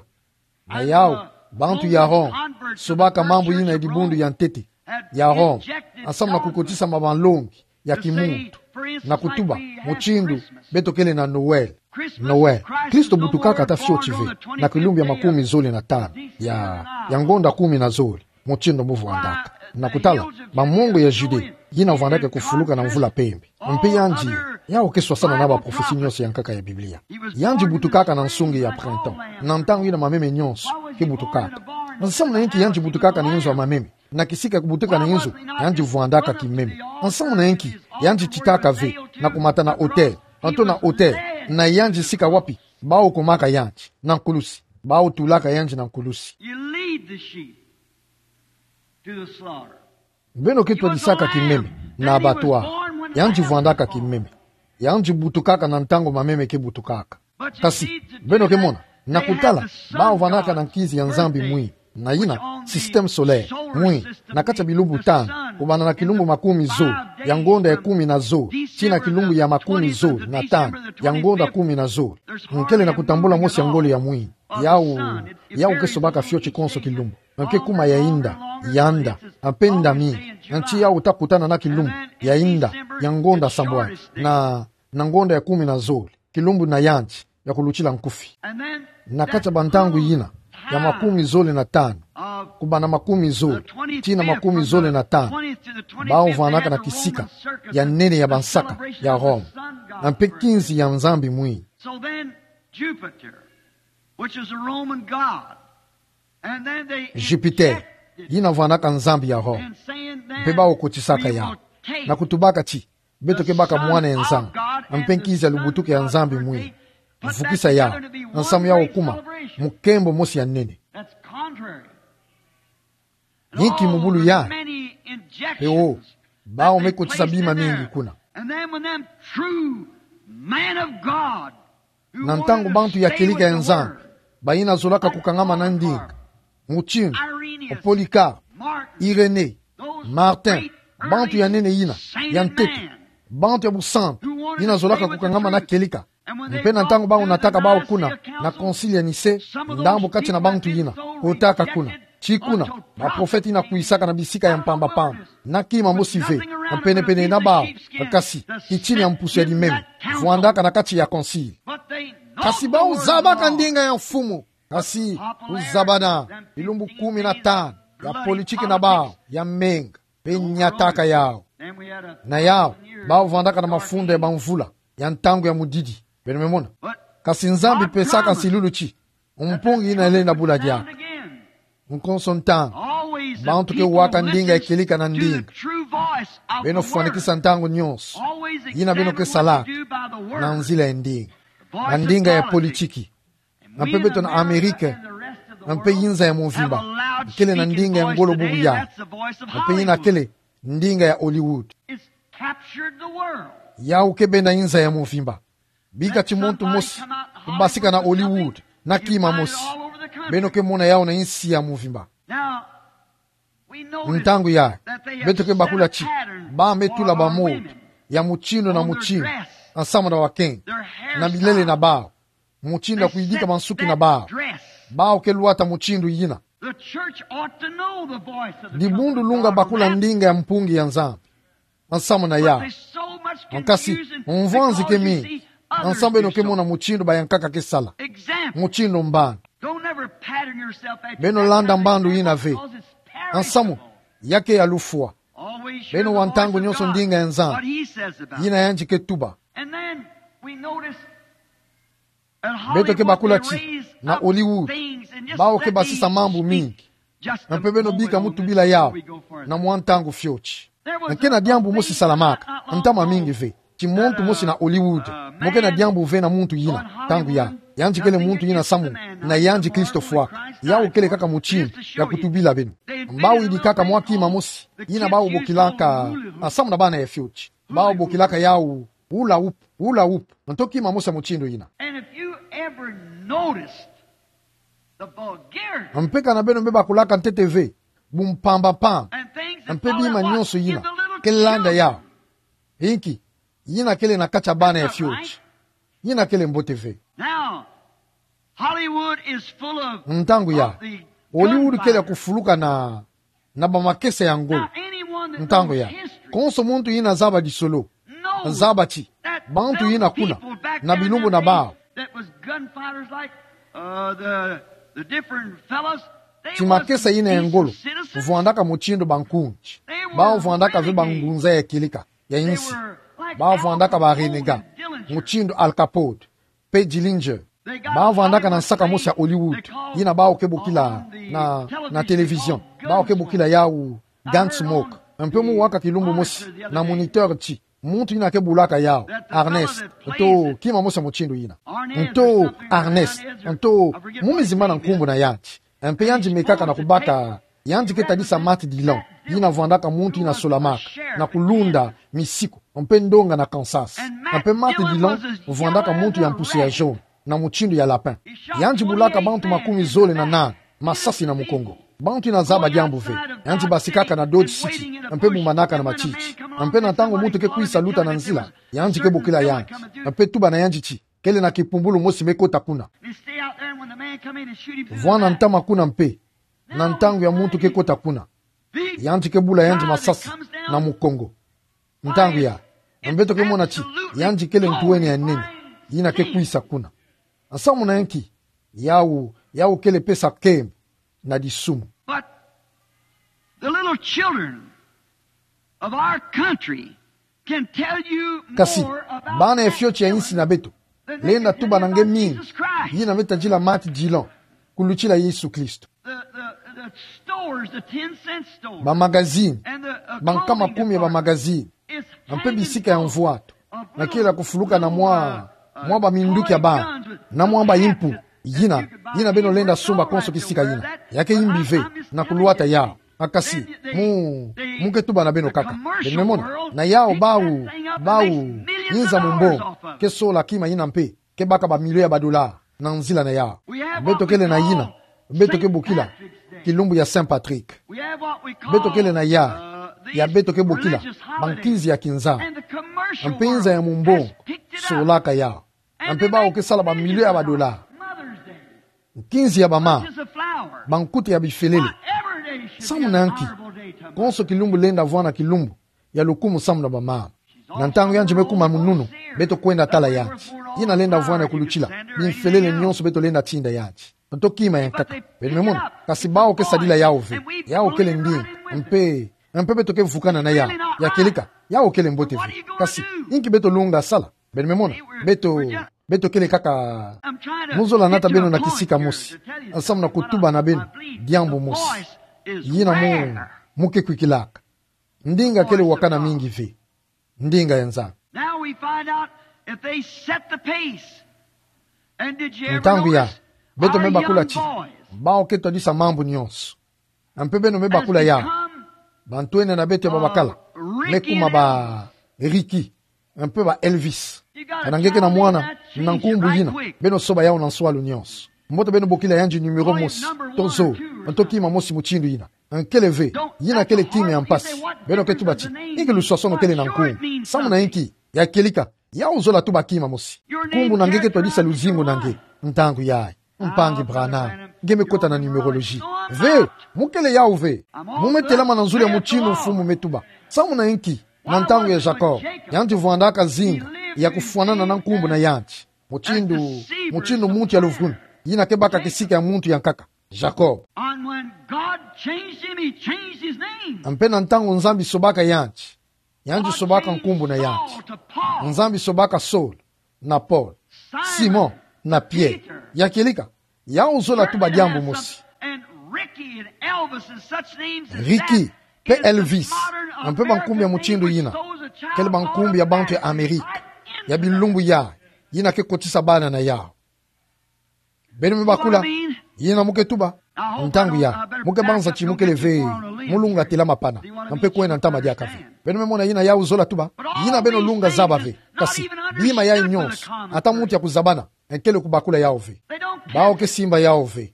Na yau, bantu ya Rome, sobaka mambu yina ya dibundu ya ntete ya Rome, nsamu na kukotisa ma banlongi ya kimuntu, na kutuba mutindu beto kele na Noël. Noël, Kristo butukaka ata fioti ve na kilumbu ya makumi zole na tanu ya, ya ngonda kumi na zole, mutindu mu vwandaka. Na kutala, bamongo ya Judée, yina vwandaka kufuluka na mvula mpembe. Mpe yandi, yawu ke swasana na baprofesi nyonso ya nkaka ya Biblia. Yandi butukaka na nsungi ya printemps, na ntangu yina mameme nyonso ke butukaka. Nsamu na yinki yandi butukaka na inzo ya mameme? Na kisika kubutuka na inzo, yandi vwandaka kimeme. Nsamu na yinki yandi titaka ve na kumata na autel, anto na autel, na yandi sika wapi bawu kumaka yandi? Na nkulusi. Bawu tulaka yandi na nkulusi. You lead the sheep to the slaughter. Beno ke twadisaka kimeme na abattoir. Yandi vwandaka kimeme. Yandi butukaka na ntangu mameme ke butukaka. Kasi, beno ke mona, na kutala, bawu vwandaka na nkizi ya Nzambi mwini, na yina, système solaire mwini, na kati ya bilumbu tanu, kubanda na kilumbu makumi zole, ya ngonda ya kumi na zole, tii na kilumbu ya makumi zole na tanu, ya ngonda kumi na zole. Nkele na kutambula mosi ya ngolo ya mwini. Yawu, yawu ke sobaka fioti konso kilumbu. Nke kuma ya inda, ya nda, mpe nda mingi. Nti yawu ta kutana na kilumbu ya inda, ya ngonda sambwani, na, na ngonda ya kumi na zole, kilumbu na yandi ya kulutila nkufi. Na kati ya bantangu yina, ya makumi zole na tanu, kubanda makumi zole tii na makumi zole na tanu, bawu vwandaka na kisika ya nene ya bansaka ya Rome, na mpe kinzi ya nzambi mwini. So then, Jupiter, which is a Roman god, and then they Jupiter, injected yina vwandaka nzambi ya Rome. And saying then, mpe bawu kotisaka yawu, na kutubaka ti beto ke baka mwana ya Nzambi, mpe nkizi ya lubutuku ya Nzambi mwini. Vukisa yawu, nsamu yawu kuma mukembo mosi ya nene. That's contrary. Yinki mubulu ya? Mpe wo, bawu me kotisa bima mingi kuna. And then when them true man of God, na ntangu bantu ya kieleka ya Nzambi, bayina zolaka kukangama na ndinga, mutindu Polycarpe, Irénée, Martin, bantu ya nene yina ya ntete, bantu ya busantu, yina zolaka kukangama na kieleka. Mpe na ntangu bawu nataka bawu kuna na Concile ya Nicée, ndambu kati na bantu yina kotaka kuna ti kuna baprofete yina kwisaka na bisika ya mpamba-mpamba, na kima mosi ve na pene-pene na bawu, kasi kitini ya mpusu ya limeme vwandaka na kati ya Concile. Kasi bawu zabaka ndinga ya Mfumu. Kasi kuzabana bilumbu kumi na tanu ya politiki na bawu ya menga, mpe nyataka yawu. Na yawu, bawu vwandaka na mafunda ya bamvula ya ntangu ya mudidi. Beno me mona. Kasi Nzambi pesaka nsilulu ti mpungi yina lenda bula diaka. Nkonso ntangu, bantu ke waka ndinga ya kieleka na ndinga. Beno fwanikisa ntangu nyonso yina beno ke salaka na nzila ya ndinga, na ndinga ya politiki. Na mpe beto na Amerika, na mpe yinza ya mvimba, kele na ndinga ya ngolo bubu yawu. Na mpe yina kele ndinga ya Hollywood. Yawu ke benda yinza ya mvimba. Bika ti muntu mosi kubasika na Hollywood na kima mosi, beno ke mona yawu na yinsi ya mvimba. Ntangu yayi, beto ke bakula ti bawu me tula bamodo ya mutindu na mutindu, nsamu na bakenge, na bilele na bawu, mutindu ya kuyidika bansuki na bawu. Bawu ke lwata mutindu yina. Dibundu lunga bakula ndinga ya mpungi ya Nzambi, nsamu na yawu. Kasi mvwanzi ke mingi, nsamu beno ke mona mutindu bayankaka ke sala. Mutindu mbandu. Beno landa mbandu yina ve, nsamu ya ke ya lufwa. Beno wa ntangu nyonso ndinga ya Nzambi, yina yandi ke tuba. Beto ke bakula ti na Hollywood, bawu ke basisa mambu mingi. Na mpe beno bika mu tubila yawu na mwa ntangu fioti. Nke na diambu mosi salamaka, ntama mingi ve. Ti muntu mosi na Hollywood, mo ke na diambu ve na muntu yina, ntangu yayi. Yandi kele muntu yina nsamu na yandi Kristo fwaka. Yawu kele kaka mutindu ya kutubila beno. Bawu yidikaka mwa kima mosi yina bawu bokilaka, nsamu na bana ya fioti, bawu bokilaka yawu hula hoop, hula hoop. Nto kima mosi ya mutindu yina. And if you ever noticed the vulgarity Mpe kana beno me bakulaka ntete ve bumpamba-mpamba, and things that mpe bima nyonso yina ke landa yawu. Inki? Yina kele na kati ya bana ya fioti. Yina kele mbote ve. Now, Hollywood is full of Ntangu yayi, of the Hollywood kele ya gunfighters. Kufuluka na, na bamakesa ya ngolo. Now, anyone that Ntangu knows yayi, history konso muntu yina zaba disolo, knows zaba ti that bantu those yina kuna people back na there in bilumbu na those days bawu, that was gunfighters like, uh, the, the different fellas, they ti makesa wasn't yina ya decent ngolo, citizens. Vwandaka mutindu bankunzi. Bawu vwandaka ve bangunza ya kieleka, ya insi. Bawu vwandaka ba renégats, mutindu Al Capone, pe Dillinger. Bawu vwandaka na nsaka mosi ya Hollywood, yina bawu ke bokila na, na télévision, bawu ke bokila yawu Gunsmoke. Un peu mu waka kilumbu mosi na Moniteur ti muntu yina ke bulaka yawu Arnest, nto kima mosi ya mutindu yina. Nto Arnest, nto mu mi zimbana nkumbu na yandi. Un peu yandi mekaka na kubaka, yandi ke tadisa Matt Dillon, yina vwandaka muntu yina solamaka na kulunda misiku, un peu ndonga na Kansas. Un peu Matt Dillon vwandaka muntu ya mpusu ya jaune, na mutindu ya lapin. Yandi bulaka bantu makumi zole na nani masasi na mukongo. Bantu yina zaba diambu ve. Yandi basikaka na Dodge City, un peu bumbanaka na matiti. Un peu na ntangu muntu ke kwisa luta na nzila, yandi ke bokila yandi, un peu tuba na yandi ti kele na kipumbulu mosi me kota kuna. Vwanda ntama kuna, un peu na ntangu ya muntu ke kota kuna, yandi ke bula yandi masasi na mukongo. Ntangu yayi, beto ke mona ti yandi kele ntu wene ya nene yina ke kwisa kuna. Samu na nki? Yawu, yawu kele pesa nkembo na disumu. But the little children of our country can tell you more about that villain than they can about Jesus Christ. Kasi bana ya fioti ya insi na beto lenda tuba na nge mingi yina me tadila Matt Dillon kulutila Yesu Kristo. The, the, the stores, the ten cent stores, ba magazine, and the, uh, ba nkama kumi ya ba magazine, un peu bisika ya mvwatu, na kila kufuluka na mwa, mwa ba minduki ya bana, na mwa ba impu, yina, yina beno lenda sumba konso kisika yina. Ya ke imbi ve na kulwata yawu. A kasi, mu, mu ke tuba na beno kaka. Beno me mona, na yawu bawu, bawu inza mumbongo ke sola kima yina mpe ke baka ba million ya ba dollars na nzila na yawu. Beto kele na yina beto ke bokila kilumbu ya Saint Patrick. Beto kele na yawu ya beto ke bokila ba nkinzi ya kinzambi. Un peu inza ya mumbongo solaka yawu. Un peu bawu ke sala ba million ya ba dollars. Nkinzi ya ba mama, ba nkuta ya bifelele. Samu na nki konso kilumbu lenda vwanda kilumbu ya lukumu samu na ba mama? Na ntangu yandi me kuma mununu, beto kwenda tala yandi. Yina lenda vwanda kulutila bimfelele nyonso beto lenda tinda yandi. Nto kima ya nkaka. Beno me mona, kasi bawu ke sadila yawu ve. Yawu kele ndinga. Un peu, un peu beto ke vukana na yawu. Ya kieleka, yawu kele mbote ve. Kasi inki beto lunga sala? Beno me mona, beto, beto kele kaka mu zola nata beno na kisika mosi, samu na kutuba na beno diambu mosi yina mu, mu ke kwikilaka. Ndinga kele wakana mingi ve. Ndinga ya Nzambi. Now we find out if they set the pace. And did you ever notice, ntangu yayi, beto me bakula ti bawu ke twadisa mambu nyonso. Un peu beno me bakula yawu, bantwenia na beto ya babakala me kuma ba Ricky, un peu ba Elvis. Kana nge ke na mwana na nkumbu yina, beno soba yawu na nswalu nyonso. Mbote beno bokila yandi numéro mosi, to zo, nto kima mosi mutindu yina. Nkele ve, yina kele kima ya mpasi. Beno ke tuba ti inki luswasono kele na nkumbu? Samu na nki? Ya kieleka, yawu zola tuba kima mosi. Nkumbu na nge ke twadisa luzingu na nge. Ntangu yayi, mpangi Branham, nge me kota na numérologie. Ve, mu kele yawu ve. Mu me telama na nzulu ya mutindu mfumu me tuba. Samu na nki? Na ntangu ya Jacob, yandi vwandaka zinga ya kufwanana na nkumbu na yandi. Mutindu, mutindu muntu ya luvunu yina ke baka kisika ya muntu ya nkaka, Jacob. And when God changed him, he changed his name. Un peu na ntangu Nzambi sobaka yandi, yandi sobaka nkumbu na yandi. Nzambi sobaka Saul na Paul, Simon na Pierre. Ya kieleka, yawu zola tuba diambu mosi. And Ricky and Elvis and such names as Ricky, pe Elvis, un peu ba nkumbu ya mutindu yina, kele ba nkumbu ya bantu ya Amerika ya bilumbu yayi, yina ke kotisa bana na yawu. Beno me bakula yina mu ke tuba. Ntangu yayi, mu ke banza ti mu kele ve mu lunga telama pana, un peu kwenda ntama diaka ve. Beno me mona yina yawu zola tuba. Yina beno lunga zaba ve. Kasi bima yayi nyonso, ata muntu ya kuzabana, nkele kubakula yawu ve. Bawu ke simba yawu ve.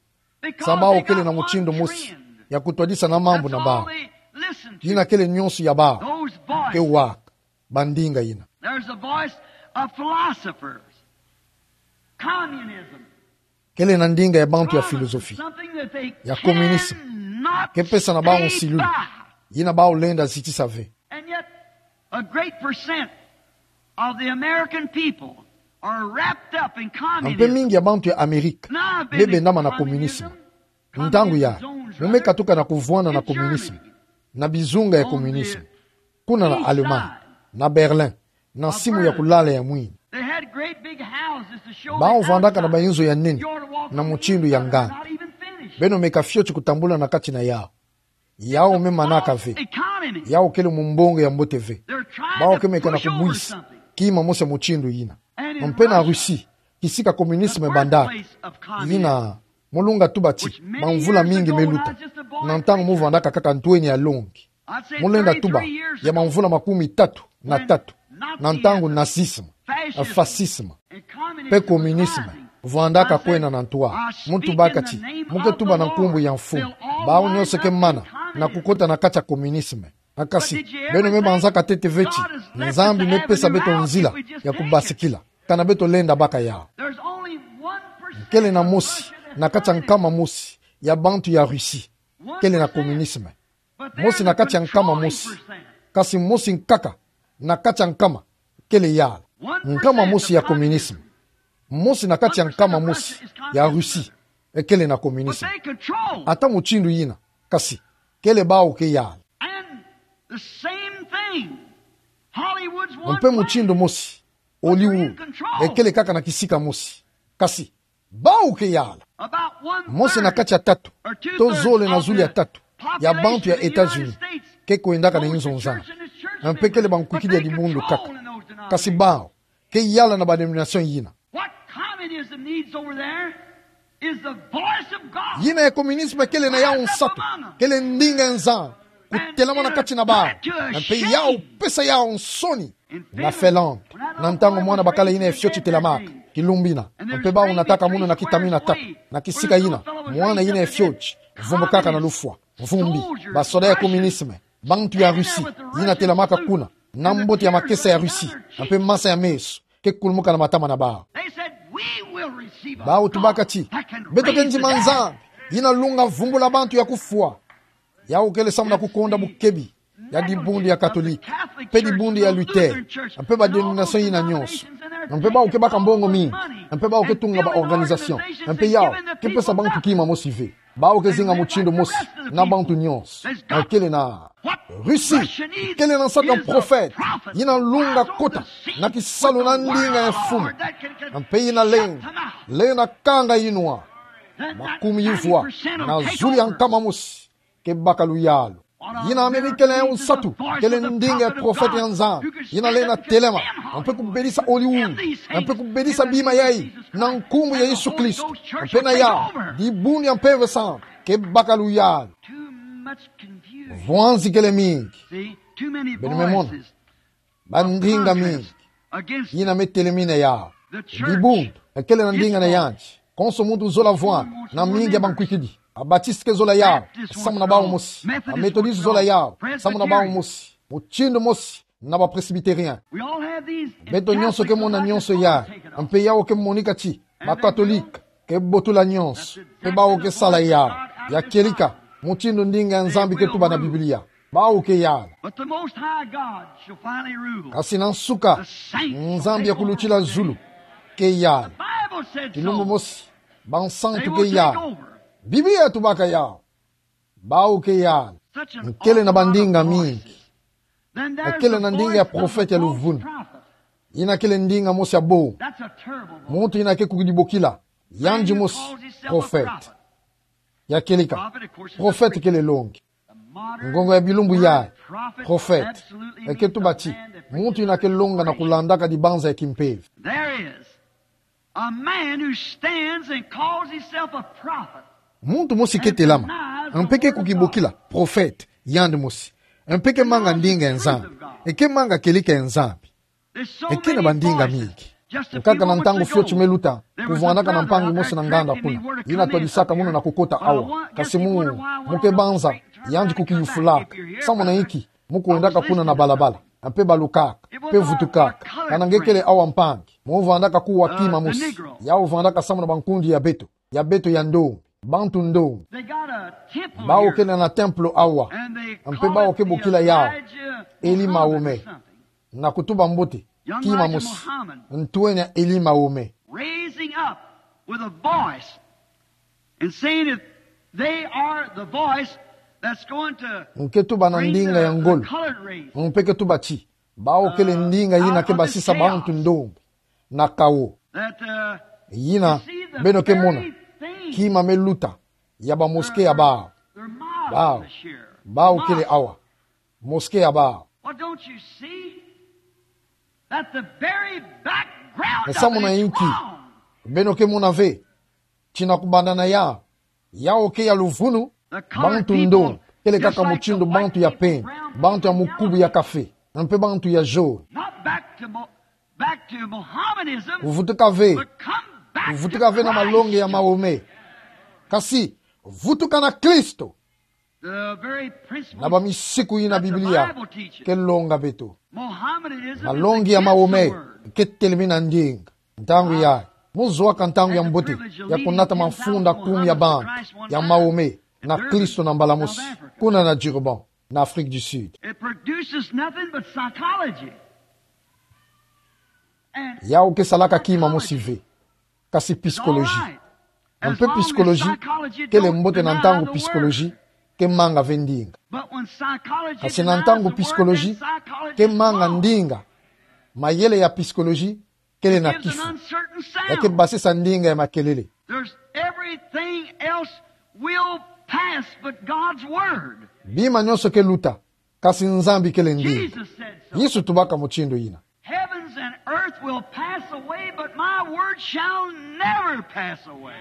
Sa bawu kele na mutindu mosi ya kutwadisa na mambu na bawu. Yina kele nyonso ya bawu ke waka, ba ndinga yina. There's a voice of philosophers. Communism. Kele na ndinga ya bantu ya philosophie ya communisme. Ke pesa na bawu nsilulu yina bawu lenda zitisa ve. And yet, a great percent of the American people are wrapped up in communism. Un peu mingi ya bantu ya Amerika me bendama na communisme. Ntangu ya, mu me katuka na kuvwanda na communisme, na bizunga ya communisme, kuna na Allemagne, na Berlin, na simu ya kulala ya mwini. Bawu vwandaka na bayinzo ya nene, na mutindu ya nganda. Beno meka fioti kutambula na kati na yawu. Yawu me manaka ve. Yawu kele mumbongo ya mbote ve. Bawu ke meka na kubwisa kima mosi ya mutindu yina. Mpe na Russie, kisika communisme bandaka. Yina, mu lunga tuba ti bamvula mingi me luta, na ntangu mu vwandaka kaka ntweni ya longi. Mu lenda tuba, ya bamvula makumi tatu na tatu, na ntangu nazisme, fascisme, mpe communisme vwandaka kwenda na ntwala. Mu tubaka ti, mu ke tuba na nkumbu ya Mfumu, bawu nyonso ke mana na kukota na kati ya communisme. Kasi, beno me banzaka ntete ve ti Nzambi me pesa beto nzila ya kubasikila, kana beto lenda baka yawu. Kele na mosi na kati ya nkama mosi ya bantu ya Russie kele na communisme. Mosi na kati ya nkama mosi. Kasi mosi nkaka na kati ya nkama kele yala. Nkama mosi ya communisme. Mosi na kati ya nkama mosi ya Russie, e kele na communisme. Ata mutindu yina, kasi kele bawu ke yala. Mpe mutindu mosi, Hollywood, e kele kaka na kisika mosi. Kasi bawu ke yala. Mosi na kati ya tatu, to zole na zulu ya tatu ya bantu ya États-Unis ke kwendaka na inzo nzanga. Mpe kele bankwikidi ya dibundu kaka. Kasi bawu ke yala na badenomination yina. What communism needs over there is the voice of God. Yina ya communisme kele na yawu nsatu, kele ndinga ya Nzambi kutelama na kati na bawu. Mpe yawu pesa yawu nsoni. Na Finlande, na ntangu mwana bakala yina ya fioti telamaka, kilumbu yina, mpe bawu nataka munu na kitamina tatu, na kisika yina, mwana yina ya fioti vumbukaka na lufwa, mvumbi, basoda ya communisme, bantu ya Russie, yina telamaka kuna, na mbote ya makesa ya Russie, mpe masa ya meso ke kulumuka na matama na bawu. Bawu tubaka ti beto ke ndima Nzambi yina lunga vumbula bantu ya kufwa. Yawu kele samu na kukonda bukebi ya dibundu ya Katolike, mpe dibundu ya Luther, mpe badenomination yina nyonso. Mpe bawu ke baka mbongo mingi, mpe bawu ke tunga ba organisation, mpe yawu ke pesa bantu kima mosi ve. Bawu ke zinga mutindu mosi na bantu nyonso. Kele na Russie, kele na nsatu ya prophète yina lunga kota na kisalu na ndinga ya mfumu. Mpe yina lenda, lenda kanga yinwa. Makumi yivwa na zulu ya nkama mosi ke baka luyalu. Yina meme kele ya nsatu, kele ndinga ya prophète ya Nzambi yina lenda telema, mpe kubelisa Hollywood, mpe kubelisa bima yayi na nkumbu ya Yesu Kristo. Mpe na yawu, dibundu ya Mpeve Santa ke baka luyalu. Vwanzi kele mingi. Beno me mona, bandinga mingi yina me telemina yawu. Dibundu e kele na ndinga na yandi. Konso muntu zola vwanda, na mingi ya bankwikidi. Ba Baptiste ke zola yawu samu na bawu mosi. Ba Methodiste zola yawu samu na bawu mosi. Mutindu mosi na ba Presbytérien. Beto nyonso ke mona nyonso yayi, mpe yawu ke monika ti ba Katolike ke botula nyonso, mpe bawu ke sala yawu. Ya kieleka mutindu ndinga ya Nzambi ke tuba na Biblia. Bawu ke yala. But the Most High God shall finally rule. Kasi na nsuka, Nzambi ya kulutila zulu ke yala. Kilumbu mosi, bansantu ke yala. Biblia tubaka yawu. Bawu ke yala. Nkele na bandinga mingi. Nkele na ndinga ya prophète ya luvunu. Yina kele ndinga mosi ya bo. Muntu yina ke kukidi bokila yandi mosi prophète. Ya kieleka, prophète kele longi. Ngongo ya bilumbu yayi, prophète e ke tuba ti muntu yina ke longa na kulandaka dibanza ya kimpeve. There is a man who stands and calls himself a prophet. Muntu mosi ke telama, mpe ke kukibokila prophète yandi mosi, mpe ke manga ndinga ya Nzambi, e ke manga kieleka ya Nzambi. E ke na bandinga mingi. Nkaka na ntangu fioti me luta, kuvwandaka na mpangi mosi na nganda kuna, yina twadisaka munu na kukota awa. Kasi mu, mu ke banza, yandi kukiyufulaka. Samu na inki? Mu kwendaka kuna na balabala, mpe balukaka, mpe vutukaka. Kana nge kele awa mpangi, mu vwandaka kuwa kima mosi. Yawu vwandaka samu na bankundi ya beto, ya beto ya ndombi, bantu ndombi. Bawu kele na templo awa, mpe bawu ke bokila yawu Eli Mahome. Na kutuba mbote, kima mosi, ntweni ya Eli Mahome. Raising up with a voice and saying, if They are the voice that's going to nke tuba na ndinga ya ngolo. Mpe ke tuba ti, bawu kele ndinga yina ke basisa bantu ndombe na kawo. Yina beno ke mona, kima me luta ya ba mosquée ya bawu. Bawu, bawu kele awa. Mosquée ya bawu. Well, don't you see that the very background of it is wrong? Samu na inki beno ke mona ve ti na kubanda na yawu, yawu ke ya luvunu? Bantu ndombe kele kaka mutindu bantu ya pembe, bantu ya mukubu ya kafe, mpe bantu ya jaune. Not back to Mo-, back to Mohammedanism, kuvutuka ve, but come back to Christ. Kuvutuka ve na malongi ya Mahomet. Kasi, vutuka na Kristo. The very principles na bamisiku yina that the Biblia Bible teaches. Ke longa beto. Mohammedanism is against the word. Malongi ya Mahomet ke telemi na ndinga. Ntangu yayi, mu zuaka ntangu ya mbote ya kunata mafunda kumi ya bantu ya Mahomet na Kristo na mbala mosi, kuna na Durban, na Afrique du Sud. It produces nothing but psychology. Yawu ke salaka kima mosi ve, kasi psychologie. Mpe psychologie kele mbote na ntangu psychologie ke manga ve ndinga. Kasi na ntangu psychologie ke manga ndinga, mayele ya psychologie kele na kifu. Ya ke basisa ndinga ya makelele. There's everything else will pass but God's word. Bima nyonso ke luta, kasi Nzambi kele ndinga. Jesus said so. Yesu tubaka mutindu yina. Heavens and earth will pass away, but my word shall never pass away.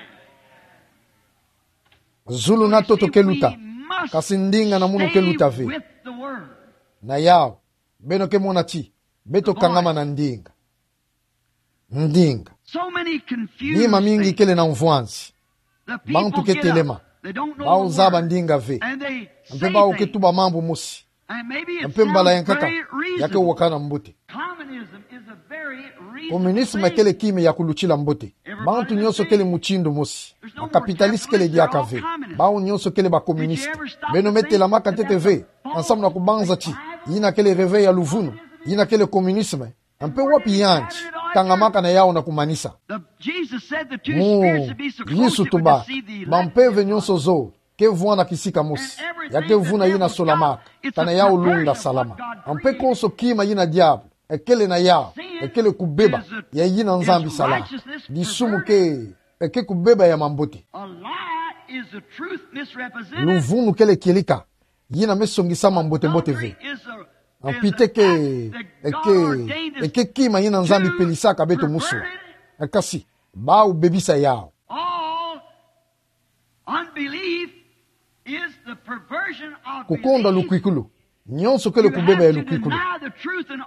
Zulu na ntoto ke luta, kasi ndinga na munu ke luta ve. Na yawu, beno ke mona ti beto kangama na ndinga. Ndinga. Bima mingi kele na mvwanzi. Bantu ke telema. Bawu zaba ndinga ve. Mpe bawu ke tuba mambu mosi. Mpe mbala ya nkaka, ya ke wakana mbote. Communism kele kima ya kulutila mbote. Bantu nyonso kele mutindu mosi. Ba capitaliste kele diaka ve. Bawu nyonso kele ba communiste. Beno me telamaka ntete ve, ensemble na kubanza ti yina kele réveil ya luvunu, yina kele communisme. Mpe wapi yandi kangamaka na yawu na kumanisa? Mu Yesu tuba, bampeve nyonso zole ke vwanda kisika mosi, ya ke vuna yina solamaka, kana yawu lunga salama. Mpe konso kima yina diabu ekele na yawu, ekele kubeba ya yina Nzambi sala. Disumu ke, eke kubeba ya mambote. Luvunu kele kieleka yina me songisama mbote-mbote ve. Mpite ke, eke, eke kima yina Nzambi pelisaka beto musula. Kasi, bawu bebisa yawu. Kukonda lukwikulu. Nyonso kele kubeba ya lukwikulu.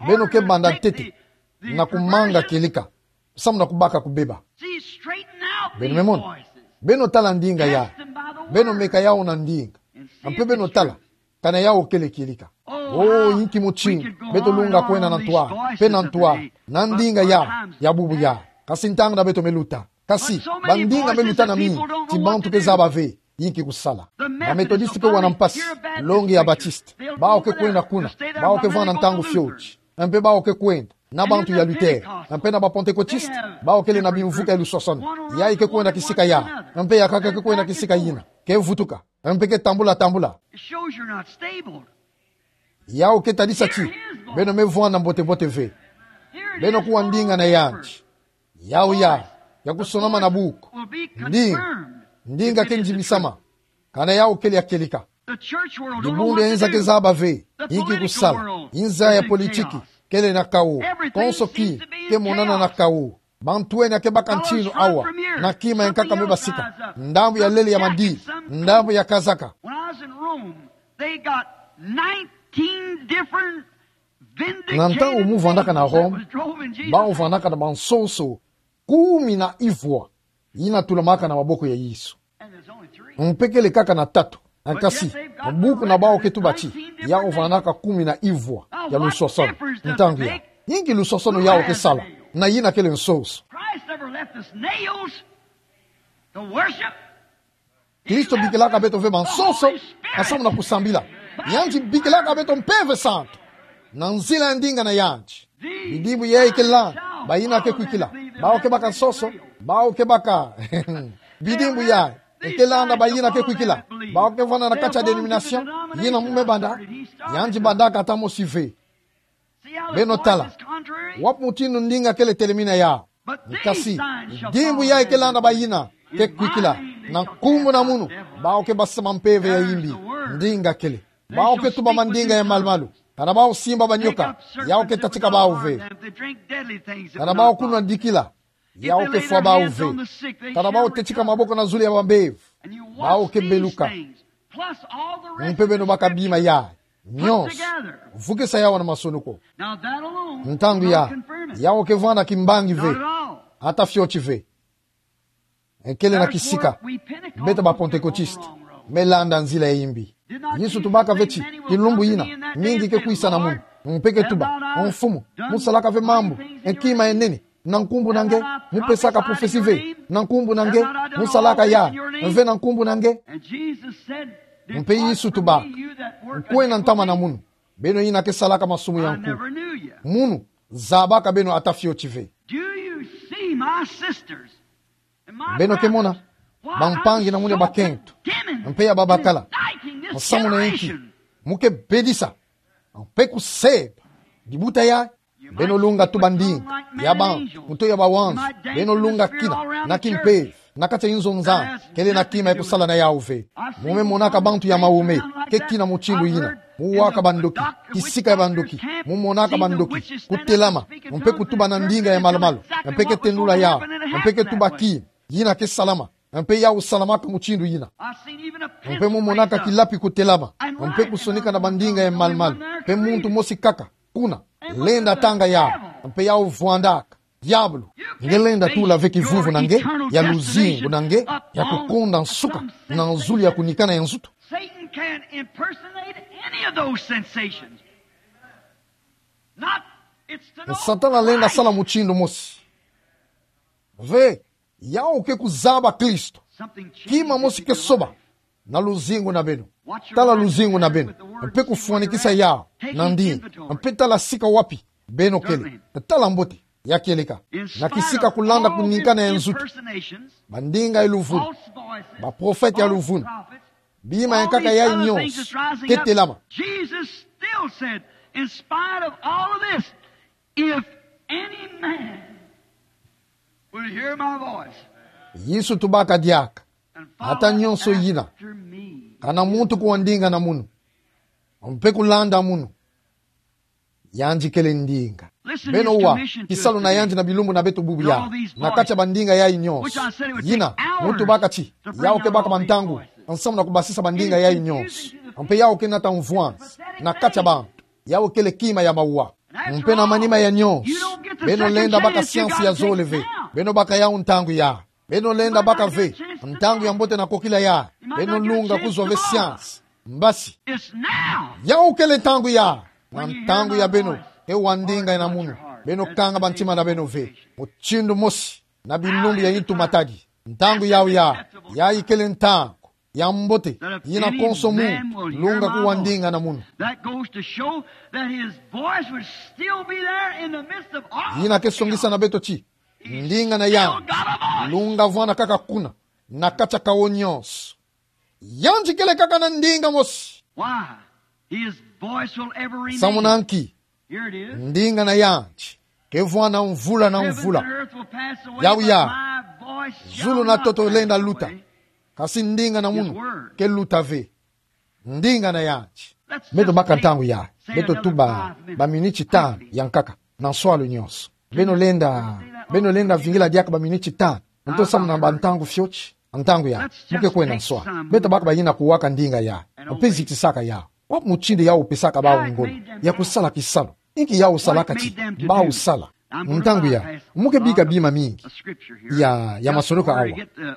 Beno ke banda ntete na kumanga kieleka samu na kubaka kubeba. Beno me mona. Beno tala ndinga yayi. Beno meka yawu na ndinga. Mpe beno tala kana yawu kele kieleka. Oh, yinki mutindu beto lunga kwenda na ntwala, mpe na ntwala, na ndinga yayi ya bubu yayi. Kasi ntangu na beto me luta. Kasi bandinga me luta na mingi, ti bantu ke zaba ve yinki kusala. Ba Methodiste ke wa na mpasi, longi ya Baptiste. Bawu ke kwenda kuna, bawu ke vwanda ntangu fioti. Mpe bawu ke kwenda na bantu ya Luther, mpe na ba Pentecôtiste, bawu kele na bimvuka ya luswaswanu. Yayi ke kwenda kisika yayi, mpe ya nkaka ke kwenda kisika yina. Ke vutuka, mpe ke tambula-tambula. Yawu ke tadisa ti beno me vwanda mbote-mbote ve. Beno kuwa ndinga na yandi. Yawu yayi ya kusonama na buku. Ndinga, ndinga ke ndimisama. Kana yawu kele ya kieleka. Dibundu ya inza ke zaba ve yinki kusala. Inza ya politiki kele na kawo. Konso ki ke monana na kawo. Bantu wena ke baka ntinu awa na kima ya nkaka me basika. Ndambu ya lele ya madini, ndambu ya kazaka. When I was in Rome, they got nineteen different vindicated things that was drove in Jesus' name. Na ntangu mu vwandaka na Rome, bawu vwandaka na bansonso kumi na ivwa yina tulamaka na maboko ya Yesu. And there's only three. Mpe kele kaka na tatu. Kasi, mu buku na bawu ke tuba ti yawu vwandaka kumi na ivwa ya luswaswanu. Ntangu yayi, yinki luswaswanu yawu ke sala na yina kele nsonso? Christ never left us nails to worship. Kristo bikilaka beto ve bansonso, samu na kusambila. Yandi bikilaka beto Mpeve Santu na nzila ya ndinga na yandi. Bidimbu yayi ke landa, bayina ke kwikila. Bawu ke baka nsonso, bawu ke baka bidimbu yayi. Nge ke landa ba yina ke kwikila. Bawu ke vwanda na kati ya denomination yina mu me banda, yandi bandaka ata mosi ve. Beno tala. Wapi mutindu ndinga kele telemina ya? Nge kasi, dimbu yayi ke landa ba yina ke kwikila, na nkumbu na munu, bawu ke basama mpeve ya imbi. Ndinga kele. Bawu ke tuba mandinga ya malumalu. Kana bawu simba banyoka, yawu ke tatika bawu ve. Kana bawu kunwa dikila, yawu ke fwa bawu ve. Kana bawu tetika maboko na zulu ya bambevo, bawu ke beluka. Mpe beno baka bima yayi nyonso, vukisa yawu na masoni ko. Ntangu ya, yawu ke vwanda kimbangi ve. Ata fioti ve. Nge kele na kisika. Beto ba Pentekotiste me landa nzila ya imbi. Yesu tubaka ve ti kilumbu yina, mingi ke kwisa na munu, mpe ke tuba: O Mfumu, mu salaka ve mambu, e, kima ya nene, na nkumbu na nge? Mu pesaka profesi ve, na nkumbu na nge? Mu salaka ya ve, na nkumbu na nge? Mpe Yesu tubaka: Nkwena ntama na munu, beno yina ke salaka masumu ya nku. Munu zabaka beno ata fioti ve. Beno ke mona, bampangi na munu ya bakento mpe ya babakala, nsamu na inki mu ke bedisa mpe kuseba dibuta yayi? Beno lunga tuba ndinga ya bantu, muto ya bawanza. Beno lunga kina na kimpeve na kati ya inzo nzani, kele na kima ya kusala na yawu ve. Mu me monaka bantu ya mawume ke kina mutindu yina, mu waka bandoki, kisika ya bandoki, mu monaka bandoki kutelama mpe kutuba na ndinga ya malumalu, mpe ke tendula yawu, mpe ke tuba kima yina ke salama, mpe yawu salamaka mutindu yina. Mpe mu monaka kilapi kutelama mpe kusonika na bandinga ya malumalu, mpe muntu mosi kaka kuna lenda tanga yawu, mpe yawu vwandaka. Diabulu, nge lenda tula ve kivuvu na nge, ya luzingu na nge, ya kukonda nsuka na zulu ya kunikana ya nzutu. Satan can impersonate any of those sensations. Not, it's to no Satana lenda sala mutindu mosi ve. Yawu ke kuzaba Kristo. Kima mosi ke soba na luzingu na beno. Tala luzingu na beno mpe kufwanikisa yawu na ndinga, mpe tala sika wapi beno kele. Tala mbote ya kieleka. Na kisika kulanda kunikana ya nzutu, bandinga ya luvunu, baprofete ya luvunu, bima ya nkaka yayi nyonso ke telama. Jesus still said, in spite of all of this, if any man will hear my voice, Yesu tubaka diaka: Ata nyonso yina, kana muntu kuwa ndinga na munu mpe kulanda munu, yandi kele ndinga. Beno wa kisalu na yandi na bilumbu na beto bubu ya, na kati ya bandinga yayi nyonso. Yina mu tubaka ti yawu ke baka bantangu nsamu na kubasisa bandinga yayi nyonso, mpe yawu ke nata mvwanzi na kati ya bantu. Yawu kele kima ya mawa. Mpe na manima ya nyonso, beno lenda baka siansi ya zole ve. Beno baka yawu ntangu ya, beno lenda baka ve ntangu ya mbote na kokila ya. Beno lunga kuzwa ve siansi. Mbasi, yawu kele ntangu ya, na ntangu ya beno ke wa ndinga na munu, beno kanga bantima na beno ve mutindu mosi na bilumbu ya intu matadi. Ntangu yawu ya, yayi kele ntangu ya mbote, yina konso muntu lunga kuwa ndinga na munu. That goes to show that his voice would still be there in the midst of all chaos. Yina ke songisa na beto ti ndinga na yandi lunga vwanda kaka kuna na kati ya kawo nyonso. Yandi kele kaka na ndinga mosi. Why? His voice will ever remain. Samu na nki? Here it is. Ndinga na yandi ke vwanda mvula na mvula. Heaven and earth will pass away, but my voice shall not pass away. Yawu ya, zulu na ntoto lenda luta, kasi ndinga na munu ke luta ve. Ndinga na yandi. Beto baka ntangu ya, beto tuba baminiti tanu ya nkaka na nswalu nyonso. Beno lenda, beno lenda vingila diaka baminiti tanu nto samu na bantangu fioti? Ntangu ya, mu ke kwenda nswalu. Beto baka bayina kuwaka ndinga ya mpe zitisaka ya. Wapi mutindu yawu pesaka bawu ngolo ya kusala kisalu? Inki yawu salaka ti bawu sala? Ntangu ya, mu ke bika bima mingi ya, ya masoloka awa,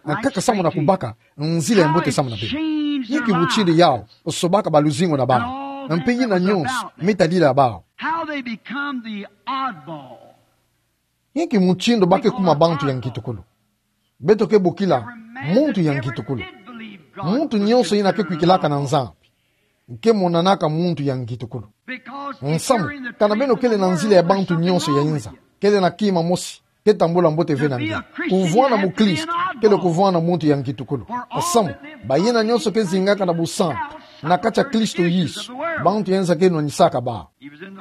nkaka samu na kubaka nzila ya mbote samu na beno. Inki mutindu yawu sobaka baluzingu na bawu mpe yina nyonso me tadila bawu? How they become the oddball. Inki mutindu ba ke kuma bantu ya ngitukulu? Beto ke bokila muntu ya ngitukulu muntu nyonso yina ke kwikilaka na Nzambi. Ke monanaka muntu ya ngitukulu. Nsamu, kana beno kele na nzila ya bantu nyonso ya inza, kele na kima mosi Ke tambula mbote ve na nge. Kuvwanda mukristo kele kuvwanda muntu ya ngitukulu. Nsamu, bayina nyonso ke zingaka na busantu na kati ya Kristo Yesu, bantu ya nza ke nwanisaka bawu.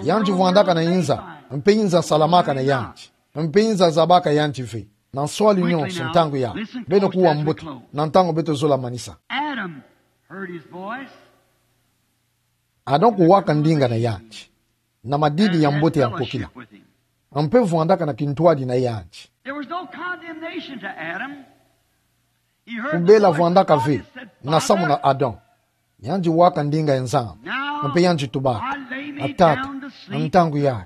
Yandi vwandaka na inza, mpe inza salamaka na yandi, mpe inza zabaka yandi ve. Na nswalu nyonso, ntangu ya, beno kuwa mbote, na ntangu beto zola manisa. Adam heard his voice. Adam kuwaka ndinga na yandi na madidi ya mbote ya nkokila. Mpe vwandaka na kintwadi na yandi. There was no condemnation to Adam. He heard the voice of God and said, Father, kubela vwandaka ve na samu na Adam. Yandi waka ndinga ya Nzambi. Mpe yandi tubaka: A Tata, ntangu yayi,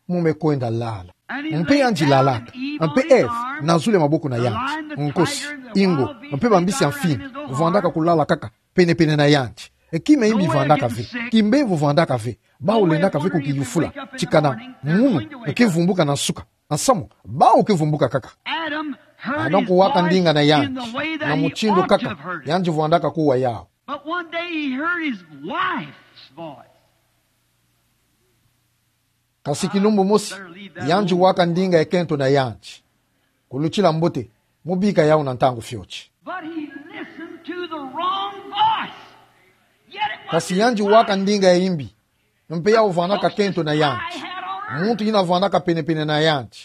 mu me kwenda lala. Mpe yandi lalaka. Mpe Eve na zulu ya maboko na yandi, nkosi, ingwe, mpe bambisi ya mfini, vwandaka kulala kaka penepene na yandi. E kima imbi vwandaka ve, kimbevo vwandaka ve, bawu lendaka ve kukiyufula, tikana munu ke vumbuka na nsuka. Nsamu, bawu ke vumbuka kaka. Adam kuwaka ndinga na yandi na mutindu kaka yandi vwandaka kuwa yawu. But one day he heard his wife's voice. Kasi kilumbu mosi, yandi waka ndinga ya kento na yandi. Kulutila mbote, mu bika yawu na ntangu fioti. But he listened to the wrong voice. Yet it was his wife. Kasi yandi waka ndinga ya imbi, mpe yawu vwandaka kento na yandi, muntu yina vwandaka penepene na yandi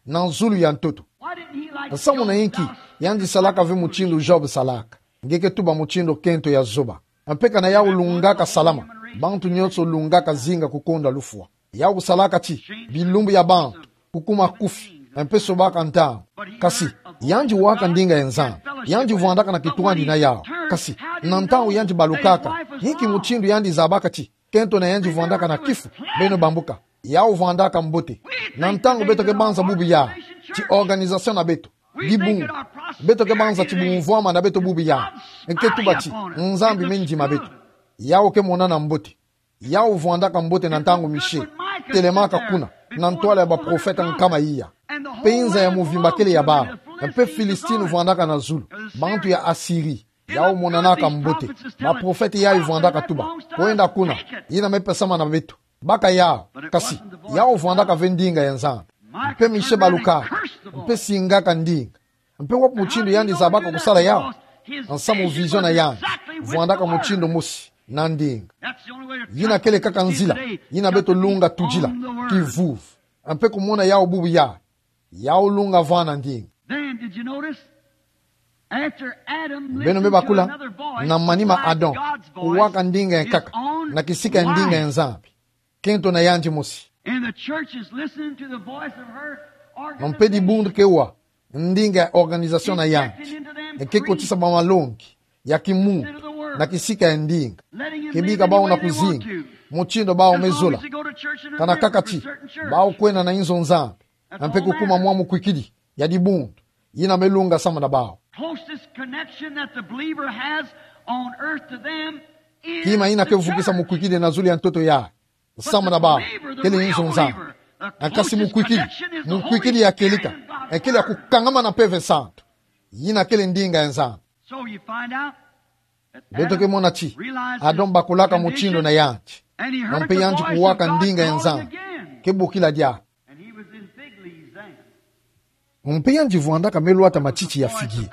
na zulu ya ntoto. Nsamu na inki yandi salaka ve mutindu Job salaka? Nge ke tuba mutindu kento ya zoba. Mpe kana yawu lungaka salama, bantu nyonso lungaka zinga kukondwa lufwa. Yawu salaka ti bilumbu ya bantu kukuma kufi, mpe sobaka ntangu. Kasi yandi waka ndinga ya Nzambi, yandi vwandaka na kintwadi na yawu. Kasi na ntangu yandi balukaka, inki mutindu yandi zabaka ti kento na yandi vwandaka na kifu? Beno bambuka, yawu vwandaka mbote. Na ntangu beto ke banza bubu yayi, ti organisation na beto, dibundu, beto ke banza ti bumvwama na beto bubu yayi, nge ke tuba ti Nzambi me ndima beto. Yawu ke monana mbote. Yawu vwandaka mbote na ntangu Michée telemaka kuna na ntwala ya baprofete nkama iya. Mpe inza ya muvimba kele ya bawu. Mpe Philistine vwandaka na zulu, bantu ya Assyrie. Yawu monanaka mbote. Baprofete yayi vwandaka tuba: Kwenda kuna, yina me pesama na beto, baka yawu. Kasi yawu vwandaka ve ndinga ya Nzambi. Mpe Michée balukaka, mpe singaka ndinga. Mpe wapi mutindu yandi zabaka kusala yawu? Nsamu vision na yandi vwandaka mutindu mosi na ndinga. Yina kele kaka nzila yina beto lunga tudila, kivuvu. Mpe kumona yawu bubu yayi, yawu lunga vana ndinga. Then, did you notice? After Adam listened to another voice, God's voice, beno me bakula, na manima Adam kuwaka ndinga ya nkaka na kisika ya ndinga ya Nzambi, kento na yandi mosi. And the church is listening to the voice of her organization. Mpe dibundu ke wa ndinga ya organisation na yandi, nge ke kotisa bamalongi ya kimuntu na kisika ya ndinga, ke bika bawu na kuzinga mutindu bawu me zola. Kana kaka ti bawu kwenda na inzo Nzambi, mpe kukuma mwa mukwikidi ya dibundu yina me lunga samu na bawu. Closest connection that the believer has on earth to them is the church. Kima yina ke vukisa mukwikidi na zulu ya ntoto yayi samu na bawu kele inzo Nzambi. Kasi mukwikidi, mukwikidi ya kieleka, kele ya kukangama na Mpeve Santu, yina kele ndinga ya Nzambi. So you find out that Adam realizes the condition, and he heard the voice of God. Beto ke mona ti Adam bakulaka mutindu na yandi, mpe yandi kuwaka ndinga ya Nzambi ke bokila diaka. And he was in fig leaves then. Mpe yandi vwandaka me lwata matiti ya figuier.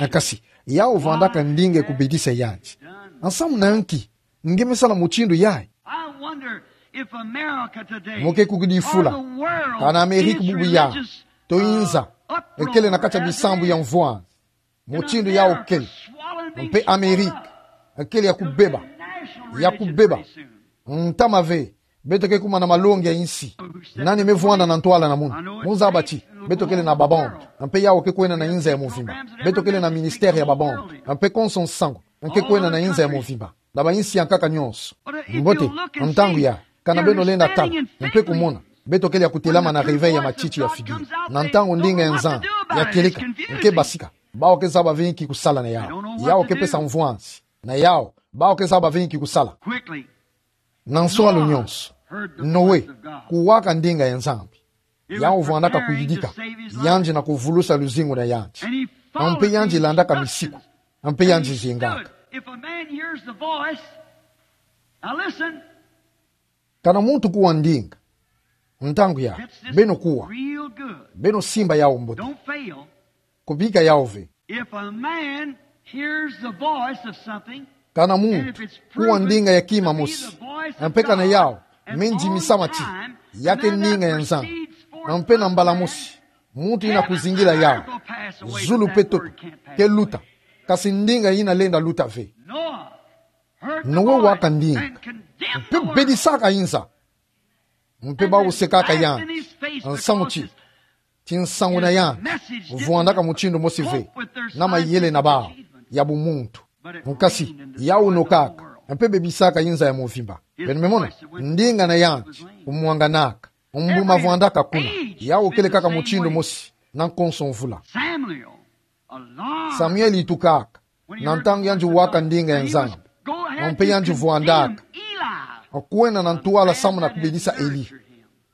Kasi yawu vwandaka ndinga ya kubedisa yandi. Nsamu na nki nge me sala mutindu yayi? I wonder if America today, or the world, is religious, uh, to inza, ekele na kacha bisambu ya mvwama. Mo ke kukidi fula, kana Amerika bubu yayi, to inza, ekele na kacha bisambu ya mvwama. Mutindu yawu kele. Mpe Amerika kele ya kubeba, ya kubeba. Ntama ve, beto ke kuma na malongi ya insi. Nani me vwanda na ntwala na munu? Mu zaba ti beto kele na ba bande, mpe yawu ke kwenda na inza ya muvimba. Beto kele na ministère ya ba bande, mpe konso nsangu nge ke kwenda na inza ya muvimba, na ba insi ya nkaka nyonso. Mbote, ntangu yayi, kana beno lenda tala mpe kumona, beto kele ya kutelama na réveil ya matiti ya figuier. Na ntangu ndinga ya Nzambi ya kieleka nge ke basika, bawu ke zaba ve inki kusala na yawu. Yawu ke pesa mvwanzi na yawu, bawu ke zaba ve inki kusala. Na nswalu nyonso, Noé kuwaka ndinga ya Nzambi. Yawu vwandaka kuyidika yandi na kuvulusa luzingu na yandi. Mpe yandi landaka misiku, mpe yandi zingaka. If a man hears the voice, now listen. Kana muntu kuwa ndinga, Ntangu ya, beno kuwa. Real good. Beno simba yau mbote. Don't fail. Kubika yau ve. If a man hears the voice of something, kana muntu kuwa ndinga ya kima mosi, mpe kana yau me ndimi sama ti ya ke ndinga ya Nzambi, mpe na mbala mosi muntu ina kuzingila yau, zulu mpe toto ke luta, kasi ndinga ina lenda luta ve. Noe waka ndinga, mpe bedisaka inza, mpe bawu sekaka yandi, nsamu ti ti nsangu na yandi vwandaka mutindu mosi ve na mayele na bawu ya bumuntu. Nkasi yau nokaka, mpe bebisaka inza ya mvimba. Beno me mona, ndinga na yandi kumwanganaka, mbuma vwandaka kuna, yau kele kaka mutindu mosi na nkonso mvula. Samuel, Samuel itukaka na ntangu yandi waka ndinga ya Nzambi, mpe yandi vwandaka, kwenda na ntwala samu na kubedisa Eli.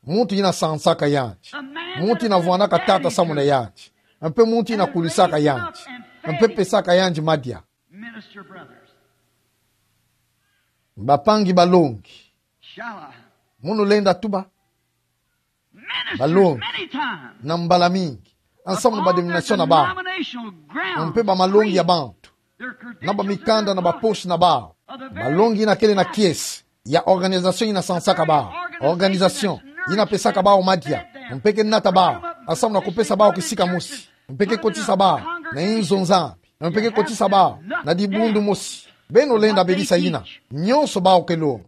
Muntu ina sansaka yandi, muntu ina vwandaka tata samu na yandi, mpe muntu ina kulisaka yandi, mpe pesaka yandi madia. Minister brothers. Bampangi balongi, Shall I? Munu lenda tuba. Ministers balongi many times. Na mbala mingi, nsamu na ba denomination na bawu, upon denominational grounds, mpe ba malongi ya bantu, na ba mikanda na ba poste na bawu, balongi ina kele na kiese ya organisation ina sansaka bawu, organisation ina pesaka bawu madia, mpe ke nata bawu nsamu na kupesa bawu kisika mosi, mpe ke kotisa bawu na inzo Nzambi, mpe ke kotisa bawu na dibundu mosi. Beno lenda bedisa ina, nionso bawu ke longa.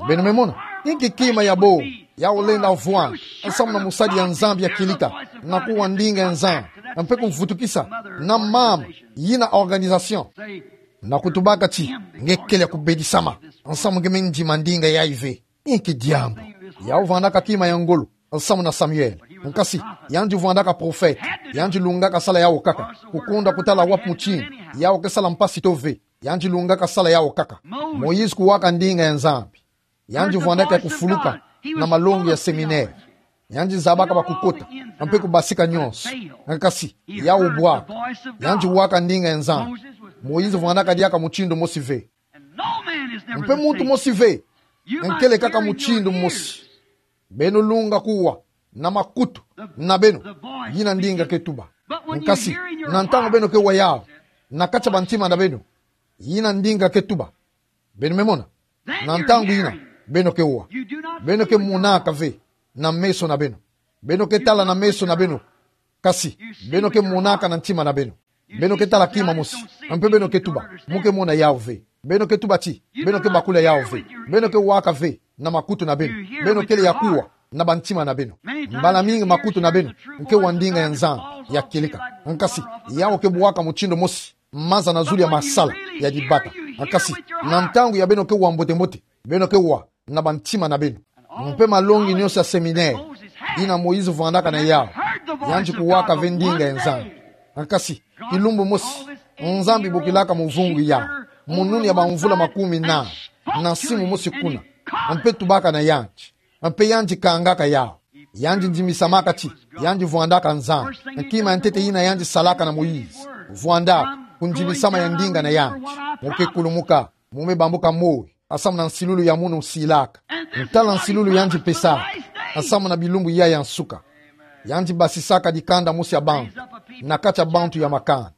Beno me mona, inki kima ya bo yau lenda vwanda nsamu na musadi ya Nzambi ya kilika, na kuwa ndinga ya Nzambi, mpe kuvutukisa na mama ina organisation, na kutubaka ti nge kele ya kubedisama, nsamu nge me ndima ndinga yayi ve. Inki diambu yau vwandaka kima ya ngolo nsamu na Samuel? Nkasi yandi vwandaka profeta, yandi lungaka sala yau kaka, kukonda kutala wapi mutindu yau ke sala mpasi to ve. Yandi lungaka sala yau kaka. Moïse kuwaka ndinga ya Nzambi, yandi vwandaka ya kufuluka na malongi ya séminaire. Yandi zabaka ba kukota, mpe kubasika nionso. Nkasi yau bwaka, yandi waka ndinga ya Nzambi. Moïse vwandaka diaka mutindu mosi ve. Mpe muntu mosi ve nkele kaka mutindu mosi. Beno lunga kuwa na makutu na beno yina ndinga ke tuba. Nkasi na ntangu beno ke wa yau na kati ya bantima na beno, yina ndinga ke tuba. Beno me mona, na ntangu yina beno ke wa, beno ke monaka ve na meso na beno. Beno ke tala na meso na beno, kasi beno ke monaka na ntima na beno. Beno ke tala kima mosi, mpe beno ke tuba, mu ke mona yau ve. Beno ke tuba ti beno ke bakula yau ve. Beno ke waka ve na makutu na beno. Beno kele ya kuwa na bantima na beno. Mbala mingi makutu na beno nke wa ndinga ya Nzambi ya kilika. Nkasi yau ke bwaka mutindu mosi maza na zulu ya masala ya dibata. Nkasi na ntangu ya beno ke wa mbote-mbote, beno ke wa na bantima na beno. Mpe malongi nionso ya séminaire yina Moïse vwandaka na yau, yandi kuwaka ve ndinga ya Nzambi. Nkasi kilumbu mosi Nzambi bokilaka muvungu yau, mu nuni ya bamvula makumi nani, na nsimu mosi kuna, mpe tubaka na yandi, mpe yandi kangaka yau. Yandi ndimisamaka ti yandi vwandaka Nzambi. Kima ya ntete yina yandi salaka na Moïse, vwandaka kundimisama ya ndinga na yandi. Mu ke kulumuka, mu me bambuka moyo nsamu na nsilulu ya munu nsilaka. Ntala nsilulu yandi pesaka nsamu na bilumbu yayi ya nsuka. Yandi basisaka dikanda mosi ya bantu na kati ya bantu ya makanda,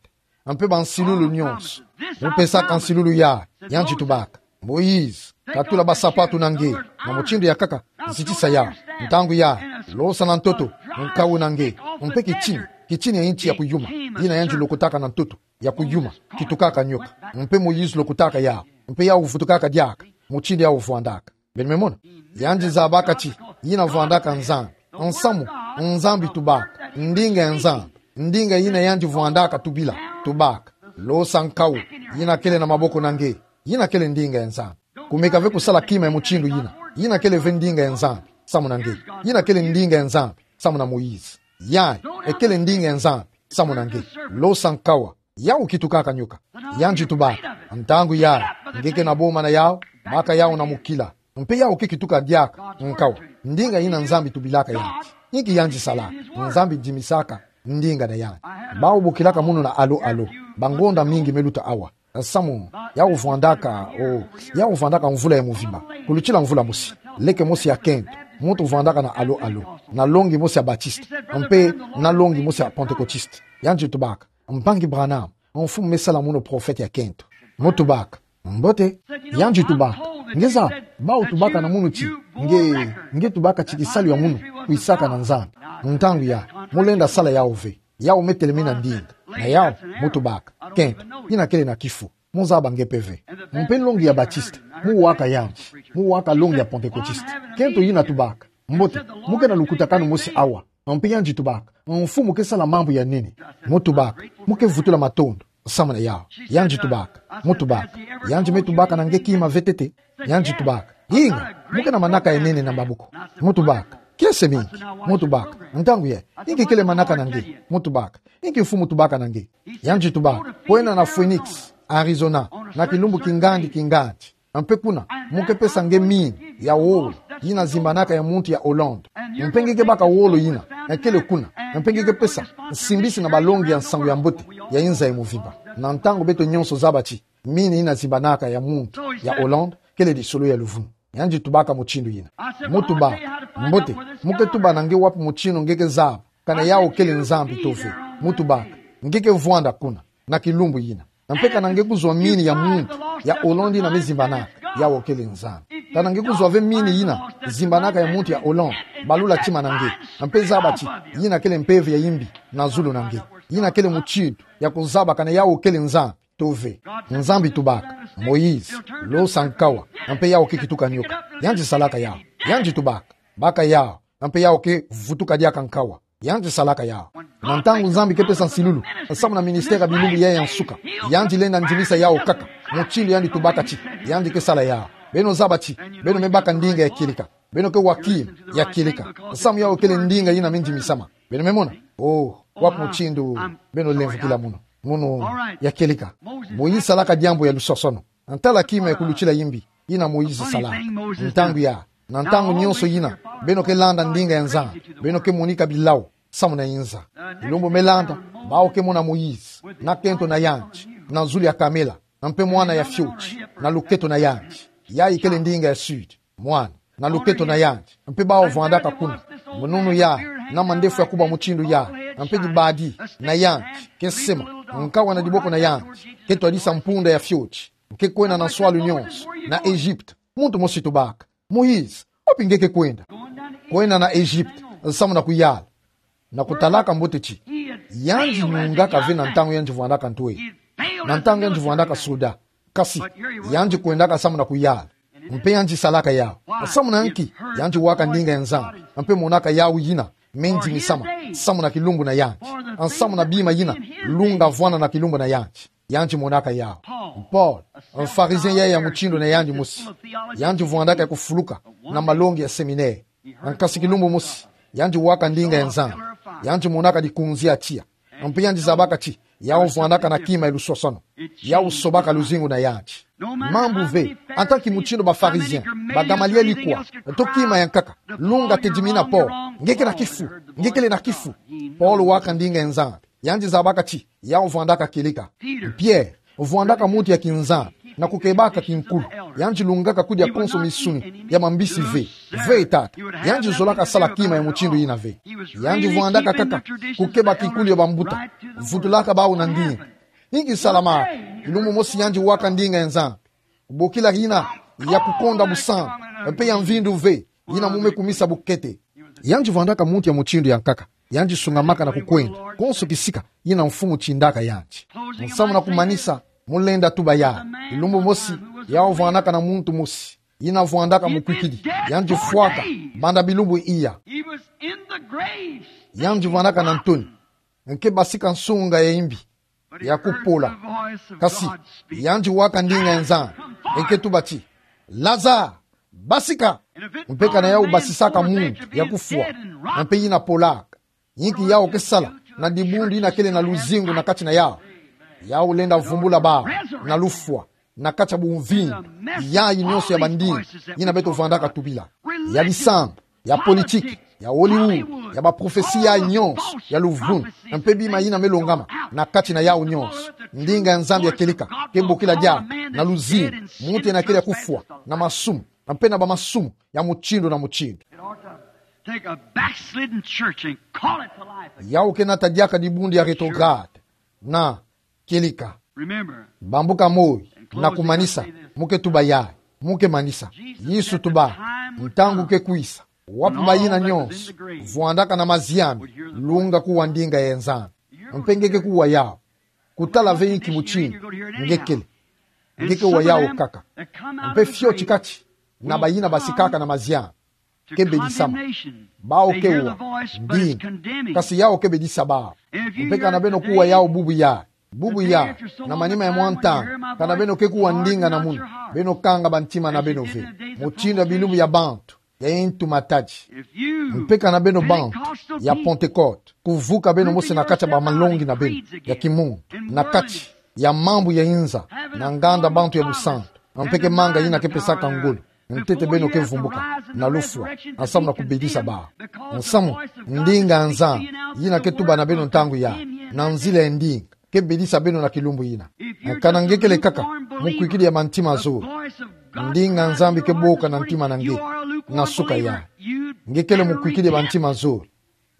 mpe bansilulu nionso. Mu pesaka nsilulu yayi, yandi tubaka: Moïse, katula basapatu na nge. Na mutindu ya kaka, zitisa yau. Ntangu yayi, losa na ntoto nkau na nge, mpe kitini, kitini ya inti ya kuyuma, yina yandi lokotaka na ntoto ya kuyuma, kitukaka nyoka. Mpe Moïse lokotaka yau, mpe yau vutukaka diaka mutindu yau vwandaka. Beno me mona, yandi zabaka ti yina vwandaka Nzambi. Nsamu Nzambi tubaka, ndinga ya Nzambi, ndinga yina yandi vwandaka tubila, tubaka: Losa nkau yina kele na maboko na nge. Yina kele ndinga ya Nzambi. Kumeka ve kusala kima ya mutindu yina. Yina kele ve ndinga ya Nzambi samu na nge. Yina kele ndinga ya Nzambi samu na Moïse. Yayi ekele ndinga ya Nzambi samu na nge. Losa nkau. Yau kitukaka nyoka. Yandi tubaka: Ntangu yayi, nge ke na boma na yau, baka yau na mukila. Mpe yau ke kituka diaka nkau. Ndinga yina Nzambi tubilaka yandi. Inki yandi salaka? Nzambi ndimisaka ndinga na yandi. Bau bokilaka munu na alo-alo. Bangonda mingi me luta awa. Nsamu yau vwandaka, o, yau vwandaka mvula ya muvimba. Kulutila mvula mosi, leke mosi ya kento Muntu vwandaka na alo alo, na longi mosi ya Baptiste, mpe na longi mosi ya Pentecôtiste. Yandi tubaka: Mpangi Branham, mfumu me sala mono prophète ya kento. Mu tubaka: Mbote. Yandi tubaka: Nge zaba, bawu tubaka na mono ti nge, nge tubaka ti kisalu ya mono kwisaka na Nzambi. Ntangu ya, mu lenda sala yawu ve. Yawu me telemena ndinga. Na yawu, mu tubaka: Kento, yina kele na kifu. Mu zaba nge mpe ve. Mpe longi ya Baptiste, mu waka yandi, mu waka longi ya Pentecôtiste. Kento yina tubaka: Mbote, mu ke na lukutakanu mosi awa. Mpe yandi tubaka: Mfumu ke sala mambu ya nene. Mu tubaka: Mu ke vutula matondo. Samu na yawu. Yandi tubaka: Mu tubaka: Yandi me tubaka na nge kima ve ntete. Yandi tubaka: Inga, mu ke na manaka ya nene na maboko. Mu tubaka: Kiese mingi. Mu tubaka: Ntangu ye, inki kele manaka na nge? Mu tubaka: Inki mfumu tubaka na nge? Yandi tubaka: Kwenda na Phoenix, Arizona, na kilumbu kingandi kingandi. Mpe kuna, mu ke pesa nge mine ya wolo, yina zimbanaka ya muntu ya Hollande. Mpe nge ke baka wolo yina, kele kuna. Mpe nge ke pesa nsimbisi na balongi ya nsangu ya mbote ya inza ya mvimba. Na ntangu beto nyonso zaba ti mine yina zimbanaka ya muntu ya Hollande kele lisolo ya luvunu. Yandi tubaka mutindu yina. Mu tubaka: Mbote, mu ke tuba na nge wapi mutindu nge ke zaba kana yawu kele Nzambi to ve? Mu tubaka: Nge ke vwanda kuna, na kilumbu yina. Mpe kana nge kuzwa mine ya muntu ya Hollande yina me zimbanaka, yawu kele Nzambi. Kana nge kuzwa ve mine yina zimbanaka ya muntu ya Hollande, balula tima na nge. Mpe zaba ti yina kele mpeve ya imbi na zulu na nge. Yina kele mutindu ya kuzaba kana yawu kele Nzambi to ve. Nzambi tubaka: Moïse, losa nkawa. Mpe yawu ke kituka nioka. Yandi salaka yawu. Yandi tubaka: Baka yawu. Mpe yawu ke vutuka diaka nkawa. Yandi salaka yawu. Na ntangu Nzambi ke pesa nsilulu samu na ministère ya bilumbu yayi ya nsuka, yandi lenda ndimisa yawu kaka mutindu yandi tubaka ti yandi ke sala yawu. Beno zaba ti beno me baka ndinga ya kieleka. Beno ke wa kima ya kieleka, samu yawu kele ndinga yina me ndimisama. Beno me mona? Oh, wapi mutindu beno lemvukila mono? Mono ya kieleka. Moïse salaka diambu ya lusosono. Ntala kima ya kulutila imbi yina Moïse salaka. Ntangu ya, na ntangu nyonso yina beno ke landa ndinga ya Nzambi, beno ke monika bilau samu na inza. Kilumbu me landa, bawu ke mona Moïse na kento na yandi, na zulu ya kamela, mpe mwana ya fioti na luketo na yandi. Yayi kele ndinga ya sud. Mwana na luketo na yandi, mpe bawu vwandaka kuna. Mununu yayi, na mandefu ya kubwa mutindu yayi, mpe dibadi na yandi ke sema, nkawa na diboko na yandi ke twadisa mpunda ya fioti, ke kwenda na nswalu nyonso na Egypte. Muntu mosi tubaka: Moïse, wapi nge ke kwenda? Kwenda na Egypte, samu na kuyala. Na kutalaka mbote ti yandi nyungaka ve na ntangu yandi vwandaka ntwele, na ntangu yandi vwandaka soda. Kasi yandi kwendaka samu na kuyala. Mpe yandi salaka yawu. Samu na nki? Yandi waka ndinga ya Nzambi, mpe monaka yawu yina me ndimisama samu na kilumbu na yandi, samu na bima yina lunga vwana na kilumbu na yandi. Yandi monaka yawu. Paul, mpharisien yayi ya mutindu na yandi mosi, yandi vwandaka ya kufuluka na malongi ya séminaire. Nkasi kilumbu mosi, yandi waka ndinga ya Nzambi. Yandi monaka dikunzi ya tiya. Mpe yandi zabaka ti yawu vwandaka na kima ya lusosono. Yawu sobaka luzingu na yandi. Mambu ve, en tant que mutindu ba pharisiens, ba Gamaliel kwa, to kima ya nkaka, lunga tedimina Paul: Nge ke na kifu, nge kele na kifu. Paul waka ndinga ya Nzambi. Yandi zabaka ti yawu vwandaka kieleka. Pierre vwandaka muntu ya kinzambi na kukebaka kinkulu. Yandi lungaka kudia konso misuni ya mambisi ve. Ve, tata. Yandi zolaka sala kima ya mutindu yina ve. Yandi vwandaka kaka kukeba kinkulu ya bambuta, vutulaka bawu na ndinga. Inki salamaka? Kilumbu mosi yandi waka ndinga ya Nzambi. Bokila yina ya kukonda busambi, mpe ya mvindu ve, yina mu me kumisa bukete. Yandi vwandaka muntu ya mutindu ya nkaka. Yandi sungamaka na kukwenda konso kisika yina mfumu tindaka yandi. Nsamu na kumanisa, mu lenda tuba yayi. Kilumbu mosi, yawu vwandaka na muntu mosi yina vwandaka mukwikidi. Yandi fwaka banda bilumbu iya. Yandi vwandaka na ntoni. Nge basika nsunga ya imbi ya kupola. Kasi yandi waka ndinga ya Nzambi, nge tuba ti: Lazare, basika! Mpe kana yawu basisaka muntu ya kufwa, mpe yina polaka, inki yawu ke sala na dibundu yina kele na luzingu na kati na yawu? Yawu lenda vumbula bawu na lufwa na kati ya bumvindu yayi nyonso ya bandinga yina beto vwandaka tubila, ya bisambu, ya politiki, ya Hollywood, ya baprofesi yayi nyonso ya luvunu, mpe bima yina me longama na kati na yawu nyonso. Ndinga ya Nzambi ya kieleka ke bokila diaka na luzingu muntu yina kele ya kufwa na masumu, mpe na bamasumu ya mutindu na mutindu. Take a backslidden church and call it to life again. Yau ke nata diaka dibundu ya rétrograde na kieleka. Remember, bambuka moi, na kumanisa, mu ke tuba yayi, mu ke manisa. Yesu tuba, ntangu ke kwisa, wapi bayina nyonso vwandaka na maziami, lunga kuwa ndinga ya Nzambi. Mpe nge ke kuwa yau. Kutala ve inki mutindu nge kele. Nge ke wa yau kaka. Mpe fioti kati na bayina basikaka na maziami ke bedisama. Bawu ke wa ndinga. Kasi yau ke bedisa bawu. Mpe kana beno kuwa yau bubu yayi, bubu yayi, na manima ya mwa ntangu, kana beno ke kuwa ndinga na munu, beno kanga bantima na beno ve. Mutindu ya bilumbu ya bantu ya intu matadi. Mpe kana beno bantu ya Pentecote, kuvuka beno mosi na kati ya bamalongi na beno ya kimuntu, na kati ya mambu ya inza, na nganda bantu ya lusantu, mpe ke manga yina ke pesaka ngolo, ntete beno ke vumbuka na lufwa, nsamu na kubedisa bawu. Nsamu, ndinga ya Nzambi yina ke tuba na beno ntangu yayi, na nzila ya ndinga, ke bedisa beno na kilumbu yina. Kana nge kele kaka mukwikidi ya bantima zole, ndinga ya Nzambi ke boka na ntima na nge na suka yayi. Nge kele mukwikidi ya bantima zole.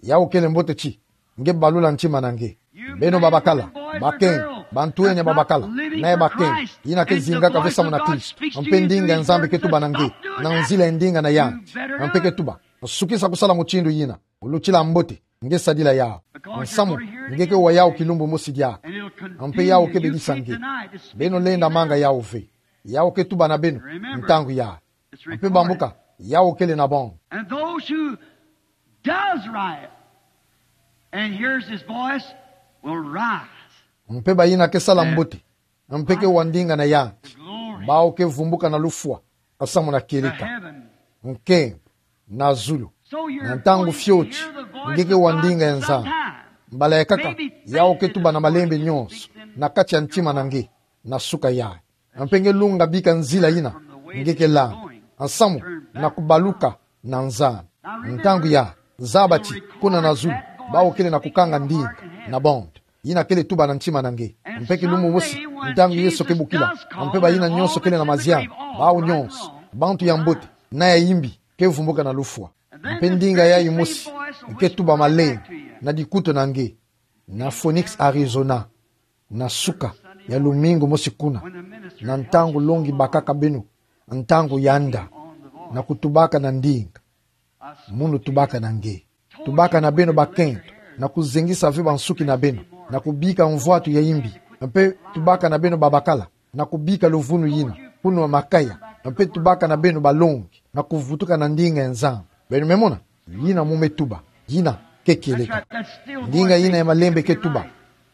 Yau kele mbote ti nge balula ntima na nge. Beno babakala, bakento, bantwenya babakala, na ya bakento yina ke zingaka ve samu na Kristo. Mpe ndinga ya Nzambi ke tuba na nge na nzila ya ndinga na yandi. Mpe ke tuba, sukisa kusala mutindu yina. Ulutila mbote nge sadila yau. Nsamu, nge ke wa yau kilumbu mosi diaka. Mpe yau ke bedisa nge. Beno lenda manga yau ve. Yau ke tuba na beno ntangu yayi. Mpe bambuka, yau kele na bong. And those who does right and hears his voice will rise. Mpe bayina ke sala mbote, mpe ke wa ndinga na yandi, bawu ke vumbuka na lufwa, nsamu na kieleka, nkembo, na zulu. Na ntangu fioti nge ke wa ndinga ya Nzambi, mbala ya nkaka, yau ke tuba na malembe nyonso na kati ya ntima na nge na suka yayi. Mpe nge lunga bika nzila yina nge ke landa, nsamu na kubaluka na Nzambi. Ntangu yayi, zaba ti kuna na zulu, bawu kele na kukanga ndinga na bantu yina kele tuba na ntima na nge. Mpe kilumbu mosi, ntangu Yesu ke bokila, mpe bayina nyonso kele na maziami, bawu nyonso, bantu ya mbote na ya imbi, ke vumbuka na lufwa. Mpe ndinga yayi mosi ke tuba malembe na dikutu na nge, na Phoenix, Arizona, na suka ya lumingu mosi kuna, na ntangu longi bakaka beno ntangu ya nda, na kutubaka na ndinga. Munu tubaka na nge. Tubaka na beno bakento na kuzengisa ve bansuki na beno, na kubika mvwatu ya imbi. Mpe tubaka na beno babakala na kubika luvunu yina kuna makaya. Mpe tubaka na beno balongi na kuvutuka na ndinga ya Nzambi. Beno me mona, yina mu me tuba, yina ke kieleka. Ndinga yina ya malembe ke tuba,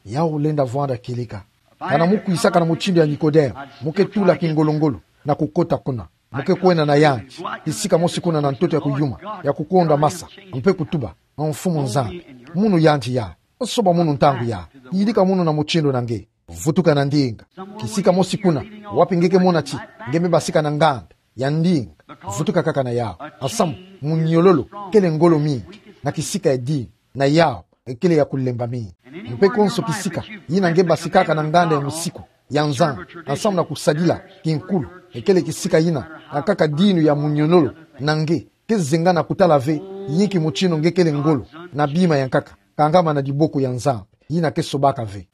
yau lenda vwanda kieleka. Kana mu kwisaka na mutindu ya Nikodemo, mu ke tula kingolongolo na kukota kuna, mu ke kwenda na yandi, kisika mosi kuna na ntoto ya kuyuma, ya kukonda masa, mpe kutuba, Mfumu Nzambi, munu yandi yayi, soba munu ntangu yayi, yidika munu na mutindu na nge, vutuka na ndinga. Kisika mosi kuna, wapi nge ke mona ti nge me basika na nganda ya ndinga, vutuka kaka na yau. Nsamu, muniololo kele ngolo mingi na kisika ya dinu, na yau ekele ya kulemba mingi. Mpe konso kisika yina nge basikaka na nganda ya musiku ya Nzambi, nsamu na kusadila kinkulu, ekele kisika yina, na nkaka dinu ya muniololo na nge ke zenga na kutala ve yinki mutindu nge kele ngolo na bima ya nkaka, kangama na diboko ya Nzambi yina ke sobaka ve.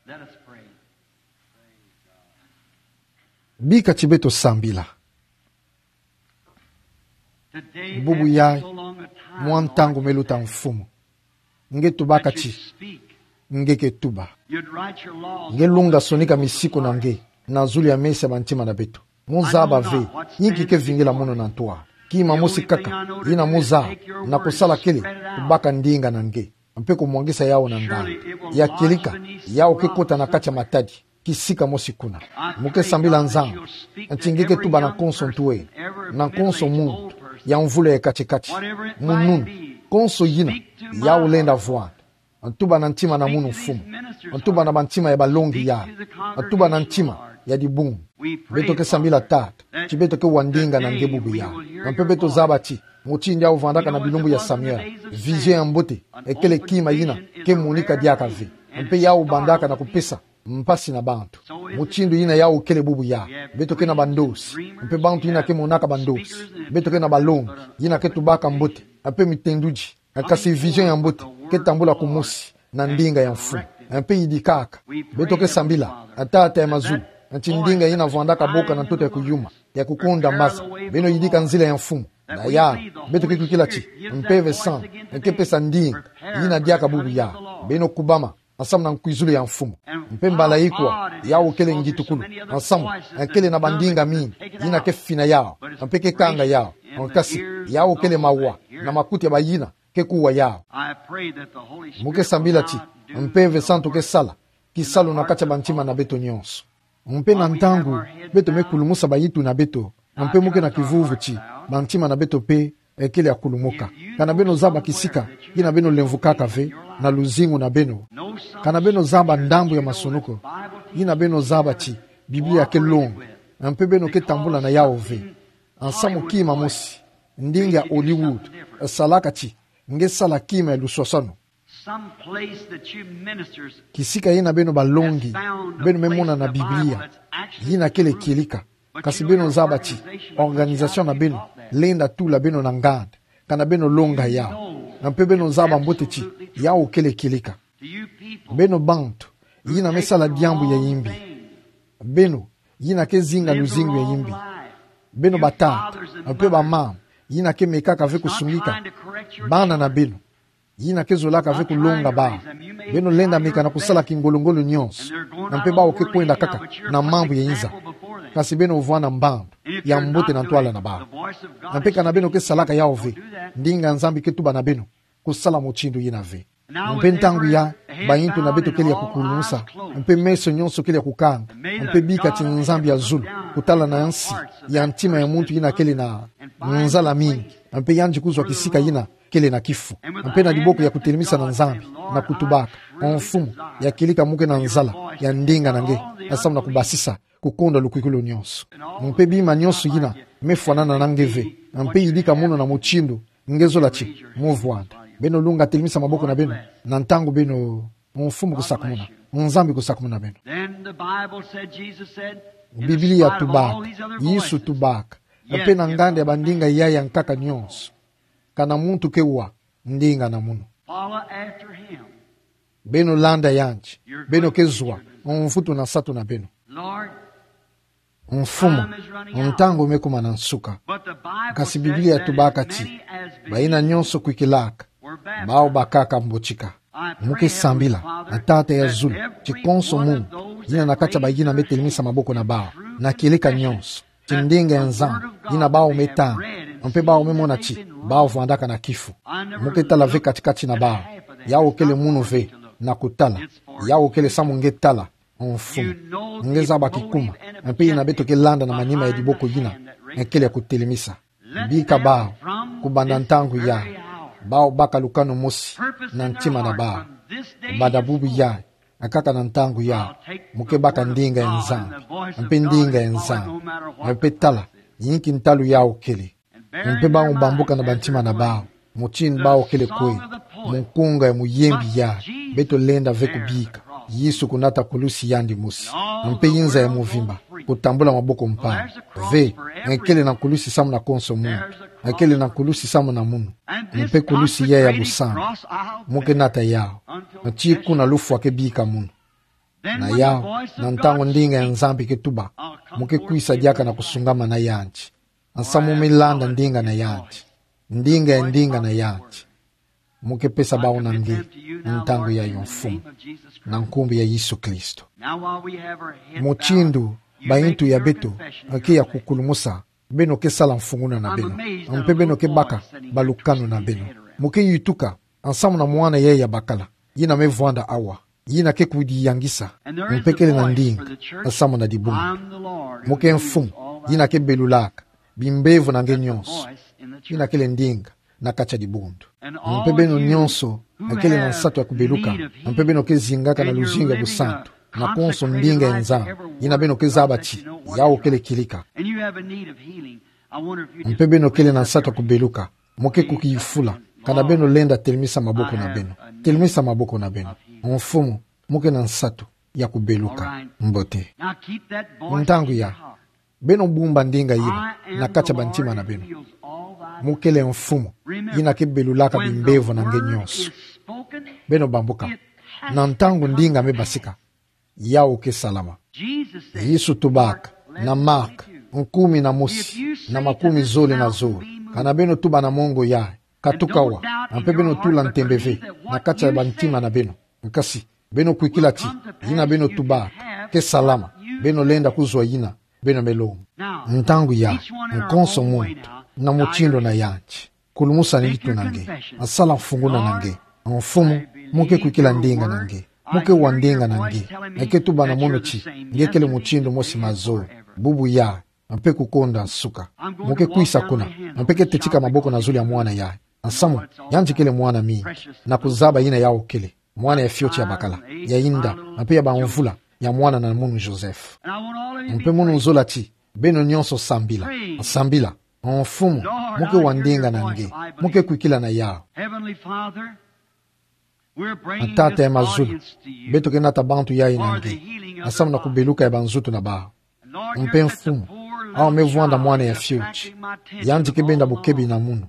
Bika ti beto sambila. Bubu yayi, mwa ntangu me luta, Mfumu. Nge tubaka ti nge ke tuba. Nge lunga sonika misiku na nge na zulu ya mesa ya bantima na beto. Mu zaba ve yinki ke vingila munu na ntwala. Kima mosi kaka yina mu zaba na kusala kele kubaka ndinga na nge, mpe kumwangisa yau na nganda. Ya kieleka, yau ke kota na kati ya matadi, kisika mosi kuna. Mu ke sambila Nzambi ti nge ke tuba na konso ntwenya, na konso muntu ya mvula ya kati-kati, mu nuni, konso yina yau lenda vwanda. Ntuba na ntima na munu, Mfumu. Ntuba na bantima ya balongi yayi. Ntuba na ntima ya dibungu. Beto ke sambila, Tata, ti beto ke wa ndinga na nge bubu yayi. Mpe beto zaba ti mutindu yau vandaka na bilumbu ya Samuel, vision ya mbote ekele kima yina ke monika diaka ve. Mpe yau bandaka na kupesa mpasi na bantu. Mutindu yina yau kele bubu yayi. Beto ke na bandosi, mpe bantu yina ke monaka bandosi. Beto ke na balongi yina ke tubaka mbote. mpe mitendudi, kasi vision ya mbote ke tambula kumosi na ndinga ya mfumu. Mpe yidikaka, beto ke sambila, Tata ya mazulu, ti ndinga ina vwandaka boka na ntoto ya kuyuma, ya kukonda maza, beno yidika nzila ya mfumu. Na ya, beto ke kwikila ti Mpeve Santu ke pesa ndinga ina diaka bubu ya. Beno kubama ensemble na nkwizulu ya mfumu. Mpe mbala ikwa, yau kele ngitukulu, ensemble, kele na bandinga mingi ina ke fina yau, mpe ke kanga yau. Kasi yau kele mawa na makuti ya bayina ke kuwa yau. Mo ke sambila ti Mpeve Santu ke sala kisalu na kati ya bantima na beto nyonso. Mpe na ntangu beto me kulumusa bayitu na beto, mpe mo ke na kivuvu ti bantima na beto mpe ekele ya kulumuka. Kana beno zaba kisika kina beno lemvukaka ve na luzingu na beno? Kana beno zaba ndambu ya masunuko kina beno zaba ti Biblia ke longa, mpe beno ke tambula na yau ve? Ensemble kima mosi, ndinga ya Hollywood salaka ti nge sala kima ya luswaswanu. Some place that you ministers, kisika ina beno balongi, beno me mona na Biblia ina kele kieleka. Kasi beno zaba ti organisation na beno lenda tula beno na nganda kana beno longa yau. Mpe beno zaba mbote ti yau kele kieleka. Beno bantu ina me sala diambu ya imbi, beno ina ke zinga luzingu ya imbi, beno batata mpe bamama ina ke mekaka ve kusungika bana na beno ina ke zolaka ve kulonga bau, beno lenda meka na kusala kingolongolo nyonso, mpe bau ke kwenda kaka na mambu ya inza. Kasi beno vwanda mbandu ya mbote na ntwala na bau. Mpe kana beno ke salaka yau ve, ndinga ya Nzambi ke tuba na beno kusala mutindu ina ve. Mpe ntangu ya, bayintu na beto kele ya kukulumusa, mpe meso nyonso kele ya kukanga, mpe bika ti Nzambi ya zulu kutala na nsi ya ntima ya muntu ina kele na nzala mingi, mpe yandi kuzwa kisika ina kele na kifu, mpe na diboko ya kutelemisa na Nzambi na kutubaka: O Mfumu, ya kieleka mo ke na nzala ya ndinga na nge, ensemble na kubasisa kukonda lukwikulu nyonso. Mpe bima nyonso ina me fwanana na nge ve, mpe yidika munu na mutindu nge zola ti mo vwanda. Beno lunga, telemisa maboko na beno na ntangu beno, Mfumu kusakumuna, Nzambi kusakumuna beno. Then the Bible said, Jesus said, in Biblia spite of tubaka, all these other Yesu voices, tubaka, yet mpe na nganda ya bandinga yaya nkaka nyonso, kana muntu ke wa ndinga na munu. Follow after him. Beno landa yandi, beno ke zwa mvutu na nsatu na beno. Lord, Mfumu, ntangu me kuma na nsuka. Kasi Biblia tubaka ti bayina nyonso kwikilaka, bau bakaka mbotika. Mo ke sambila na Tata ya zulu ti konso muntu ina na kati ya bayina me telemisa maboko na bau, na kieleka nyonso, ti ndinga ya Nzambi ina bau me tanga, mpe bau me mona ti bau vwandaka na kifu. Mo ke tala ve katikati na bau. Yau kele munu ve na kutala. Yau kele samu nge tala. O Mfumu, nge zaba kikuma mpe ina beto ke landa na manima ya diboko ina kele ya kutelemisa. Bika bau, kubanda ntangu ya, bau baka lukanu mosi na ntima na bau. Kubanda bubu ya, kaka na ntangu ya, mo ke baka ndinga ya Nzambi, mpe ndinga ya Nzambi, mpe tala, yinki ntalu yau kele. Mpe bau bambuka na bantima na bau mutindu bau kele kwe, mu nkunga ya muyembi ya, beto lenda ve kubika Yesu kunata kulusi yandi mosi, mpe inza ya muvimba kutambula maboko mpangi. Ve, nge kele na kulusi samu na konso muntu, nge kele na kulusi samu na munu, mpe kulusi ya ya busantu. Mo ke nata yau tii kuna lufwa ke bika munu. Na yau, na ntangu ndinga ya Nzambi ke tuba, mo ke kwisa diaka na kusungamana yandi. Nsamu mo me landa ndinga na yandi. Ndinga ya ndinga na yandi. Mo ke pesa bau na nge, ntangu yayi, Mfumu, na nkumbu ya Yesu Kristo. Mutindu bayintu ya beto ke ya kukulumusa, beno ke sala mfunguna na beno, mpe beno ke baka balukanu na beno. Mo ke yituka nsamu na mwana yayi ya bakala, yina me vwanda awa, yina ke kudiyangisa, mpe kele na ndinga nsamu na dibundu. Mo ke Mfumu yina ke belulaka bimbevo na nge nyonso, yina kele ndinga na kati ya dibundu. Mpe beno nyonso kele na nsatu ya kubeluka, mpe beno ke zingaka na luzingu ya busantu na konso ndinga ya Nzambi, yina beno ke zaba ti yau kele kieleka. Mpe beno kele na nsatu ya kubeluka, mo ke kukifula, kana beno lenda telemisa maboko na beno. Telemisa maboko na beno. Mfumu, mo ke na nsatu ya kubeluka. Mbote. Ntangu ya, Beno bumba ndinga yina na kati ya bantima na beno. Mo kele Mfumu yina ke belulaka bimbevo na nge nyonso. Beno bambuka. Na ntangu ndinga me basika, yau ke salama. Yesu tubaka na Mark nkumi na mosi, na makumi zole na zole: Kana beno tuba na mongo yayi: Katuka awa, mpe beno tula ntembe ve na kati ya bantima na beno. Nkasi beno kwikila ti yina beno tubaka ke salama, beno lenda kuzwa yina beno me lomba. Ntangu yayi, nkonso muntu na mutindu na yandi, kulumusani itu na nge, sala mfunguna na nge: Mfumu, mo ke kwikila ndinga na nge, mo ke wa ndinga na nge. Nge ke tuba na mono ti nge kele mutindu mosi mazole, bubu yayi, mpe kukonda nsuka. Mo ke kwisa kuna, mpe ke tetika maboko na zulu ya mwana yayi. Nsamu, yandi kele mwana mingi, na kuzaba yina yau kele, mwana ya fioti ya bakala, ya inda, mpe ya bamvula, ya mwana na munu Joseph. Mpe mono nzola ti beno nyonso sambila, sambila: Mfumu, mo ke wa ndinga na nge, mo ke kwikila na yau. Heavenly Father, we're bringing Tata ya mazulu, beto ke nata bantu yayi na nge, nsamu na kubeluka ya banzutu na bau. Mpe Mfumu, awa me vwanda mwana ya fioti, yandi ke benda bukebi na munu,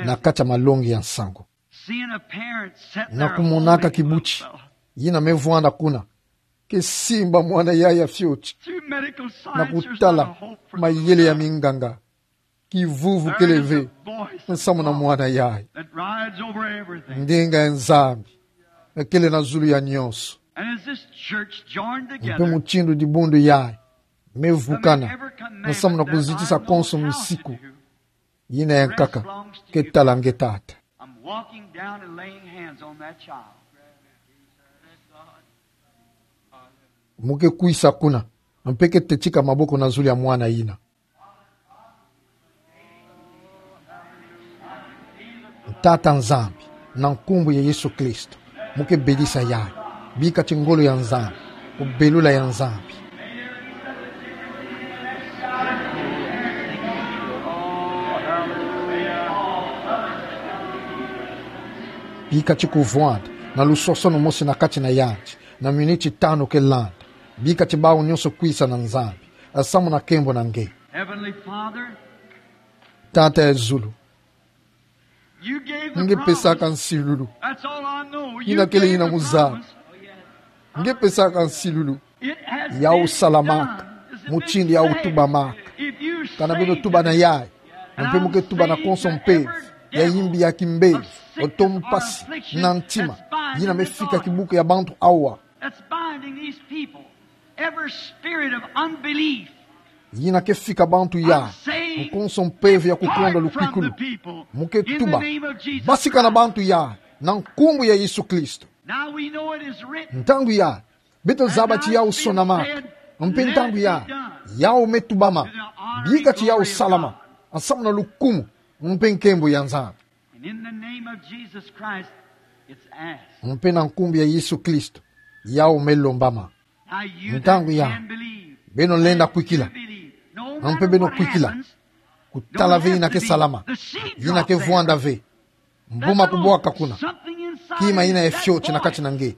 na kati ya malongi ya nsangu. Na kumonaka kibuti yina me vwanda kuna, ke simba mwana yayi ya fioti, na kutala mayele ya minganga. Kivuvu kele ve nsamu na mwana yayi. Ndinga ya Nzambi kele na zulu ya nyonso. Mpe mutindu dibundu yayi me vukana nsamu na kuzitisa konso misiku, yina yankaka ke tala nge, Tata. I'm walking down and laying hands on that child. Mo ke kwisa kuna, mpe ke tetika maboko na zulu ya mwana yina. Tata Nzambi, na nkumbu ya Yesu Kristo, mo ke belisa yayi. Bika ti ngolo ya Nzambi, kubelula ya Nzambi, bika ti kuvwanda na lusosono mosi na kati na yandi, na miniti tanu ke landa. Bika ti bau nyonso kwisa na Nzambi, nsamu na nkembo na nge. Heavenly Father, Tata ya zulu, you gave the nge pesaka promise. Nsilulu. That's all I know. You gave the promise. Yina kele yina muzaba. Nge pesaka nsilulu. It has been done. Yau salamaka mutindu yau tubamaka. Kana beno tuba na yayi, mpe mo ke tuba na konso mpeve ya yimbi, ya kimbevo, oto mpasi na ntima, yina me fika kibuku ya bantu awa. That's binding these people. Every spirit of unbelief. Yina ke fika bantu yayi, nkonso mpeve ya kukonda lukwikulu. Mo ke tuba, basika na bantu yayi, na nkumbu ya Yesu Kristo. Now we know it is written. Ntangu yayi, beto zaba ti yau sonamaka. Mpe ntangu yayi, yau me tubama. Bika ti yau salama, nsamu na lukumu mpe nkembo ya Nzambi. And in the name of Jesus Christ, it's asked. Mpe na nkumbu ya Yesu Kristo, yau me lombama. Now you that can believe, beno lenda kwikila, mpe beno kwikila. Kutala ve yina ke salama, yina ke vwanda ve. Mbuma kubwaka kuna. Kima yina ya fioti na kati na nge.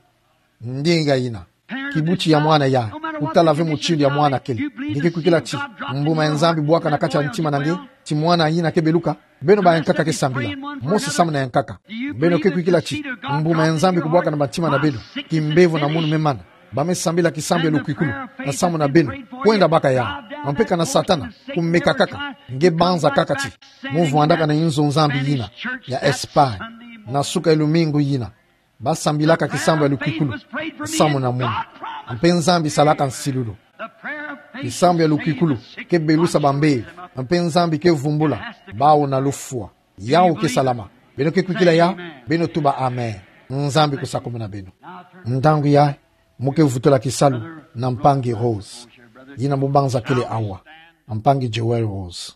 Ndinga yina. Kibuti ya mwana yayi, kutala ve mutindu ya mwana kele. Nge ke kwikila ti mbuma ya Nzambi bwaka na kati ya ntima na nge, ti mwana yina ke beluka. Beno bayankaka ke sambila. Mosi samu na yankaka. Beno ke kwikila ti mbuma ya Nzambi kubwaka na bantima na beno, kimbevo na munu me mana. Ba me sambila kisambu ya lukwikulu nsamu na beno, kwenda baka yawu. Mpe kana Satana kumeka kaka, nge banza kaka ti mo vwandaka na inzo Nzambi yina ya Espagne, na suka ya lumingu yina ba sambilaka kisambu ya lukwikulu nsamu na munu. Mpe Nzambi salaka nsilulu. Kisambu ya lukwikulu ke belusa bambeli, mpe Nzambi ke vumbula bawu na lufwa. Yawu ke salama. Beno ke kwikila yawu, beno tuba amen. Nzambi kusakumuna beno. Ntangu yayi, mo ke vutula kisalu na mpangi Rose, yina mo banza kele awa. Mpangi Joel Rose.